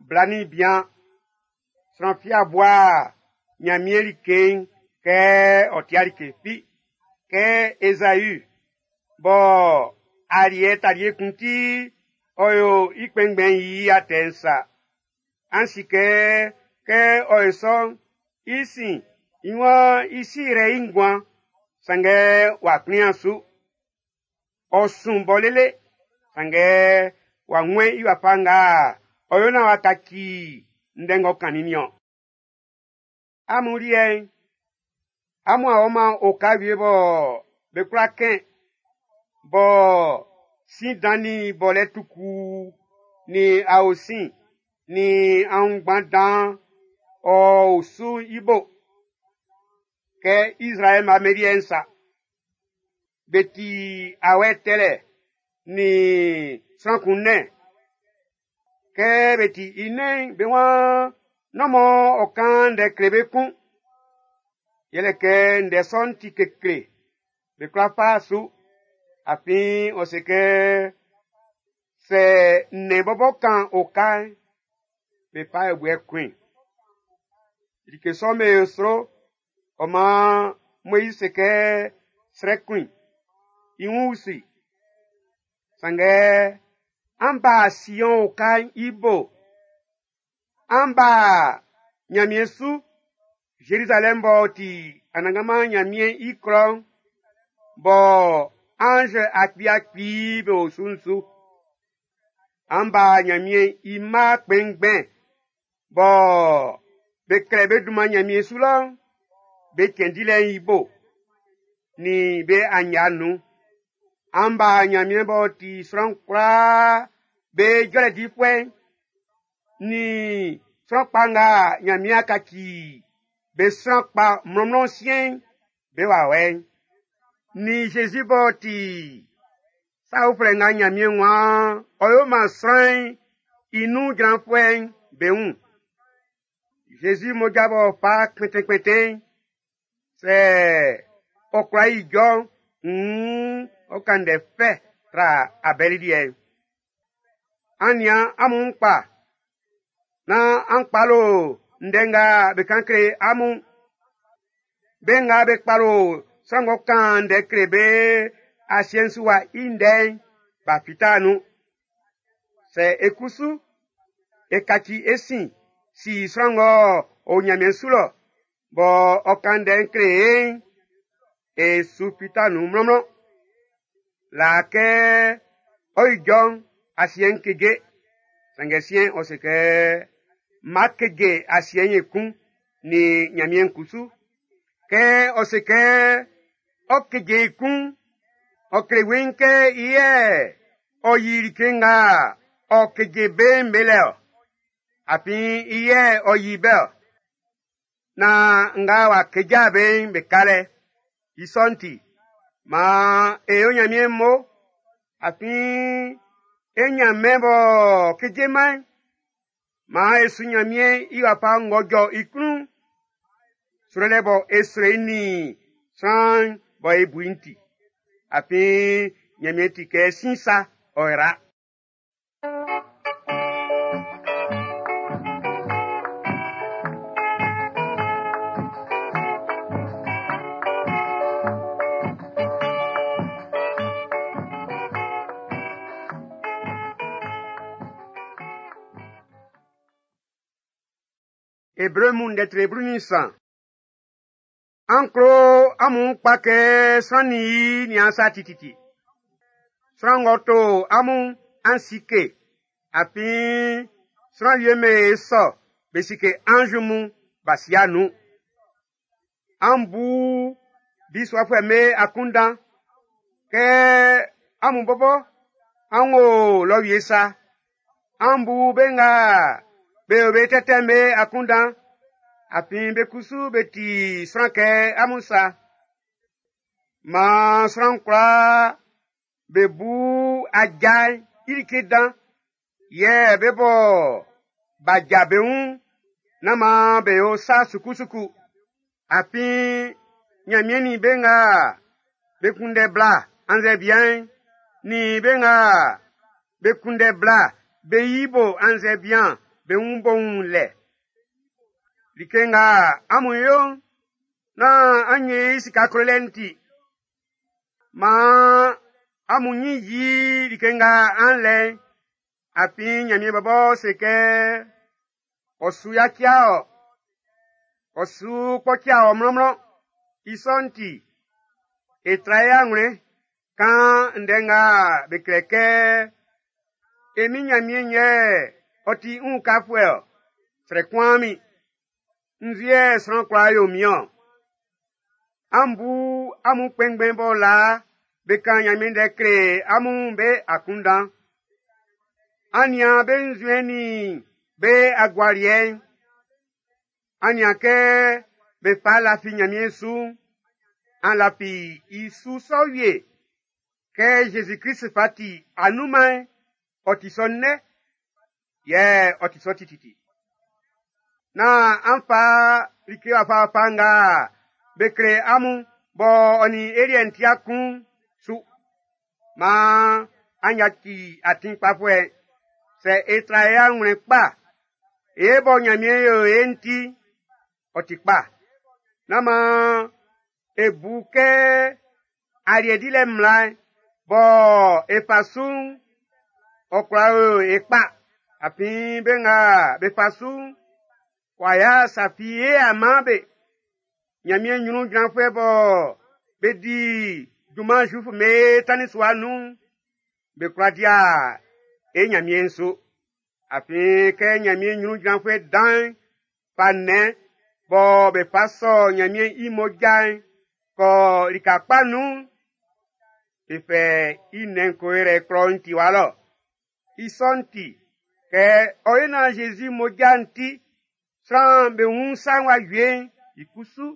bla nin bian. Sran fi a bua Ɲanmiɛn like'n kɛ ɔ ti'a like fi. Kɛ Ezau bɔ aliɛ talie kun ti ɔ yo i kpɛnngbɛn'n i atɛ'n sa. An si kɛ kɛ ɔ yo sɔ'n, i sin i waan i si rɛ i nguan, sanngɛ w'a kplin'an su. Ɔ sun bɔ lele, sanngɛ w'a wun i wafa nga ɔ yo naan w'a kaci ndɛ ng'ɔ kannin'n niɔn. Amun liɛ'n, amun a ɔman oka wie bɔ be kwla kɛn, bɔ sin dan nin bɔlɛ tukuu, nin aosin, nin aunngban dan ɔ o su'n i bo. Kɛ Izraɛl mma'm sa. Be ti awɛ tɛlɛ nin sran kun nnɛn. Kɛ be ti i nnɛn'n, be waan nán mɔ ɔ kan ndɛ kle be kun. Yɛlɛ kɛ ndɛ sɔ'n ti kekle, be kwla fa su. Afin ɔ se kɛ sɛ nnɛn bɔbɔ kan oka'n, be fa ɛbuɛ kun. Like sɔ'n be sro, ɔ maan Moizi se kɛ srɛ kun i wun usu. Sanngɛ an ba Sion oka'n i bo. An ba Ɲanmiɛn su, Zerizalɛm b'ɔ ti Anannganman Ɲanmiɛn i klɔ'n, bɔ anz akpi-akpi be o su'n su. An ba Ɲanmiɛn i mma kpɛnngbɛn bɔ be klɛ be dunman Ɲanmiɛn su lɔ'n, be cɛn dilɛ'n i bo, nin be anya nun. An ba Ɲanmiɛn b'ɔ ti sran kwlaa be jɔlɛ difuɛ'n, nin sran kpa nga Ɲanmiɛn a kaci be sran kpa mlɔnmlɔn siɛn'n, be wawɛ'n. Nin Zezi b'ɔ ti sa uflɛ nga Ɲanmiɛn waan ɔ yo man sran'n i nun jranfuɛ'n be wun. Zezi mmoja b'ɔ fa kpɛntɛnkpɛntɛn'n, sɛ ɔ kwla ijɔ'n, nn ɔ kan ndɛ fɛ tra Abɛli liɛ'n. An nian amun kpa, nán an kpalo ndɛ nga be kan kle amun. Be nga be kpalo sran ng'ɔ kan ndɛ kle be asiɛ'n su wa i ndɛ'n, b'a fita nun. Sɛ e kusu, e kaci e sin si sran ng'ɔ o Ɲanmiɛn su lɔ, bɔ ɔ kan ndɛ'n kle e'n, e su fita nun mlɔnmlɔn. Laa kɛ ɔ ijɔ'n, asiɛ'n keje. Sanngɛ siɛn'n ɔ se kɛ má keje asiɛ'n ekun nin Ɲanmiɛn kusu. Kɛ ɔ se kɛ ɔ keje ekun, ɔ kle weiin kɛ i yɛ ɔ yi like nga ɔ keje be'n be lɛ ɔ. Afin i yɛ ɔ yi be ɔ. Na nga w'a keja be'n be ka lɛ. I sɔ'n ti, maan e yo Ɲanmiɛn mo, afin e Ɲanmiɛn b'ɔ kejeman'n, maan e su Ɲanmiɛn i wafa ng'ɔ jɔ i klun'n. Srɛlɛ bɔ e srɛ i nin sran bɔ e bu i'n ti. Afin Ɲanmiɛn ti kɛ sin sa, ɔ yra. Ebre mun ndɛ tre blu nin nsan. An klo amun kpa kɛ sran nin i nian sa tititi. Sran ng'ɔ to amun an sike, afin sran wie me sɔ be sike anz mun b'a sia nun. An bu bisuafuɛ'm be akunndan kɛ amun bɔbɔ an wo lɔ wie sa. An bu be nga be o be tɛtɛ'm be akunndan, afin be kusu be ti sran kɛ amun sa. Maan sran kwlaa be bu aja'n i like dan, yɛ be bɔ b'a ja be wun, nán maan be yo sa sukusuku. Afin Ɲanmiɛn nin be nga be kunndɛ bla annzɛ bian'n, nin be nga be kunndɛ bla be yi bo annzɛ bian be wun bo wun lɛ. Like nga amun yo'n, nán an nye i sika klolɛ'n ti. Maan amun nyin yi like nga an lɛ'n, afin Ɲanmiɛn bɔbɔ se kɛ ɔ su yaci ɔ, ɔ su kpɔci ɔ mlɔnmlɔn. I sɔ'n ti, e tra e anwlɛn kan ndɛ nga be klɛ kɛ e min Ɲanmiɛn yɛ ɔ ti n ukafuɛ ɔ, srɛ kun min. Nzu yɛ sran kwla yo min ɔ. An bu amun kpɛnngbɛn bɔ laa be kan Ɲanmiɛn ndɛ kle amun be akunndan. An nian be nzuɛn nin be agualiɛ'n. An nian kɛ be fa lafi Ɲanmiɛn su'n, an lafi i su sɔ wie. Kɛ Zezi Klist fa ti anunman'n, ɔ ti sɔ nnɛ, yɛ ɔ ti sɔ tititi. Nán an fa like wafawafa nga be kle amun bɔ ɔ nin e liɛ'n ti'a kun'n su. Maan an yaci atin kpafuɛ'n. Sɛ e tra e anwlɛn kpa, e bɔ Ɲanmiɛn yo e'n ti, ɔ ti kpa. Nán maan e bu kɛ aliɛ dilɛ mmla'n bɔ e fa su'n, ɔ kwla yo e kpa. Afin be nga be fa su'n, w'a ya sa fi e a man be. Ɲanmiɛn ɲrun jranfuɛ bɔ be di junman Zuifu'm be tannin sua nun'n, be kwla dia e Ɲanmiɛn'n su. Afin kɛ Ɲanmiɛn ɲrun jranfuɛ dan'n fa nnɛn bɔ be fa sɔ Ɲanmiɛn i mmoja'n kɔ lika kpa nun'n, be fɛ i nnɛn'n ko yrɛ klɔ'n tiwa lɔ. I sɔ'n ti, kɛ ɔ yo naan Zezi mmoja'n ti, sran'm be wun sa'n w'a wie'n, i kusu,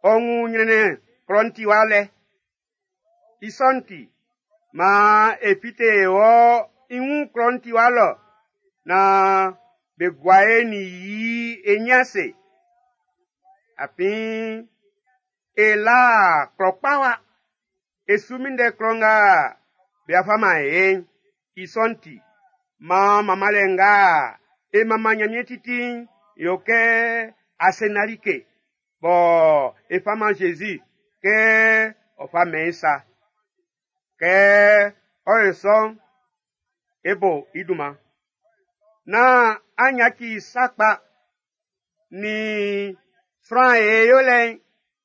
ɔ wun ɲrɛnnɛn klɔ'n tiwa lɛ. I sɔ'n ti, maan e fite e wɔ i wun klɔ'n tiwa lɔ, naan be gua e nin yi e ɲin ase. Afin e la klɔ kpa wa. E su minndɛ klɔ nga be a fa man e'n. I sɔ'n ti, maan manmanlɛ nga e manman Ɲanmiɛn titi'n yo kɛ asenna like bɔ e fa man Zezi kɛ ɔ fa mɛn i sa. Kɛ ɔ yo sɔ'n, e bo i dunman. Nán an yaci sa kpa nin sran ye yolɛ'n,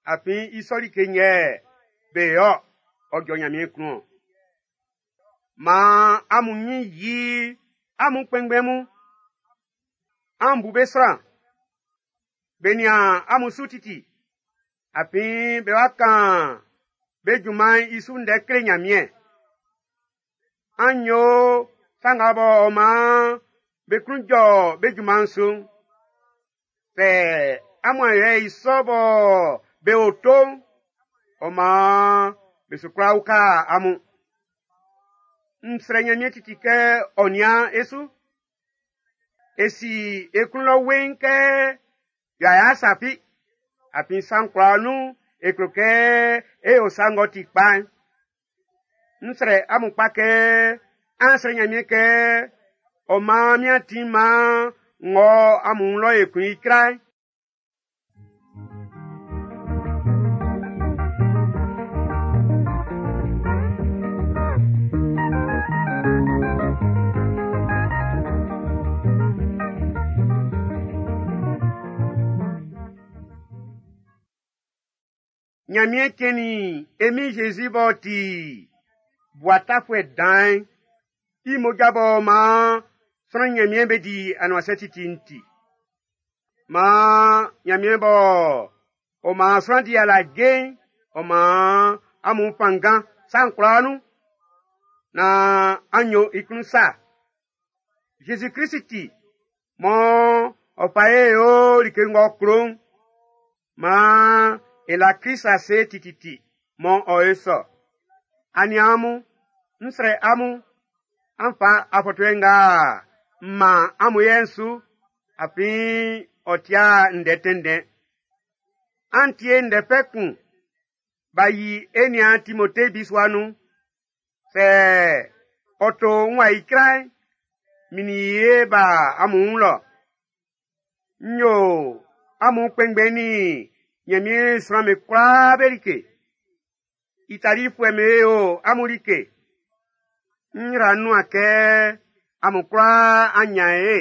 afin i sɔ like yɛ be yo ɔ jɔ Ɲanmiɛn klun. Maan amun ɲin yi amun kpɛnngbɛn mun. An bu be sran. Be nian amun su titi. Afin be wa kan be junman'n i su ndɛ kle Ɲanmiɛn. An yo sa nga bɔ maan be klun jɔ be junman'n su'n. Sɛ amun a yo i sɔ bɔ be o to'n, ɔ maan be su kwla uka amun. N srɛ Ɲanmiɛn titi kɛ ɔ nian e su. E si e klun lɔ weiin kɛ y'a sa fi. Afin sa'n kwlaa nun e klo kɛ e yo sa ng'ɔ ti kpa'n. N srɛ amun kpa kɛ an srɛ Ɲanmiɛn kɛ ɔ maan min atin maan n wɔ amun wun lɔ ekun icra'n. Ɲanmiɛn cɛnnin e Min Zezi b'ɔ ti bua tafuɛ dan'n, i mmoja b'ɔ maan sran Ɲanmiɛn be di anuansɛ titi'n ti. Maan Ɲanmiɛn b'ɔ ɔ maan sran di alaje'n, ɔ maan amun fanngan sa'n kwlaa nun, naan an yo i klun sa. Zezi Klist ti, mɔ ɔ fa e yo like ng'ɔ klo'n, maan e la Klist ase tititi mɔ ɔ e sɔ. Aniaan mun, n srɛ amun, an fa afɔtuɛ nga m man amun yɛ'n su, afin ɔ tia ndɛ tɛnndɛn. An tie ndɛ fɛ kun, b'a yi e niaan Timote bisua nun. Sɛ ɔ to n wa icra'n, min nin i e ba amun wun lɔ. N yo amun kpɛnngbɛn nin Ɲanmiɛn sran'm be kwlaa be like. Italifuɛ'm be yo amun like. N yra nuan kɛ amun kwlaa an nyan e.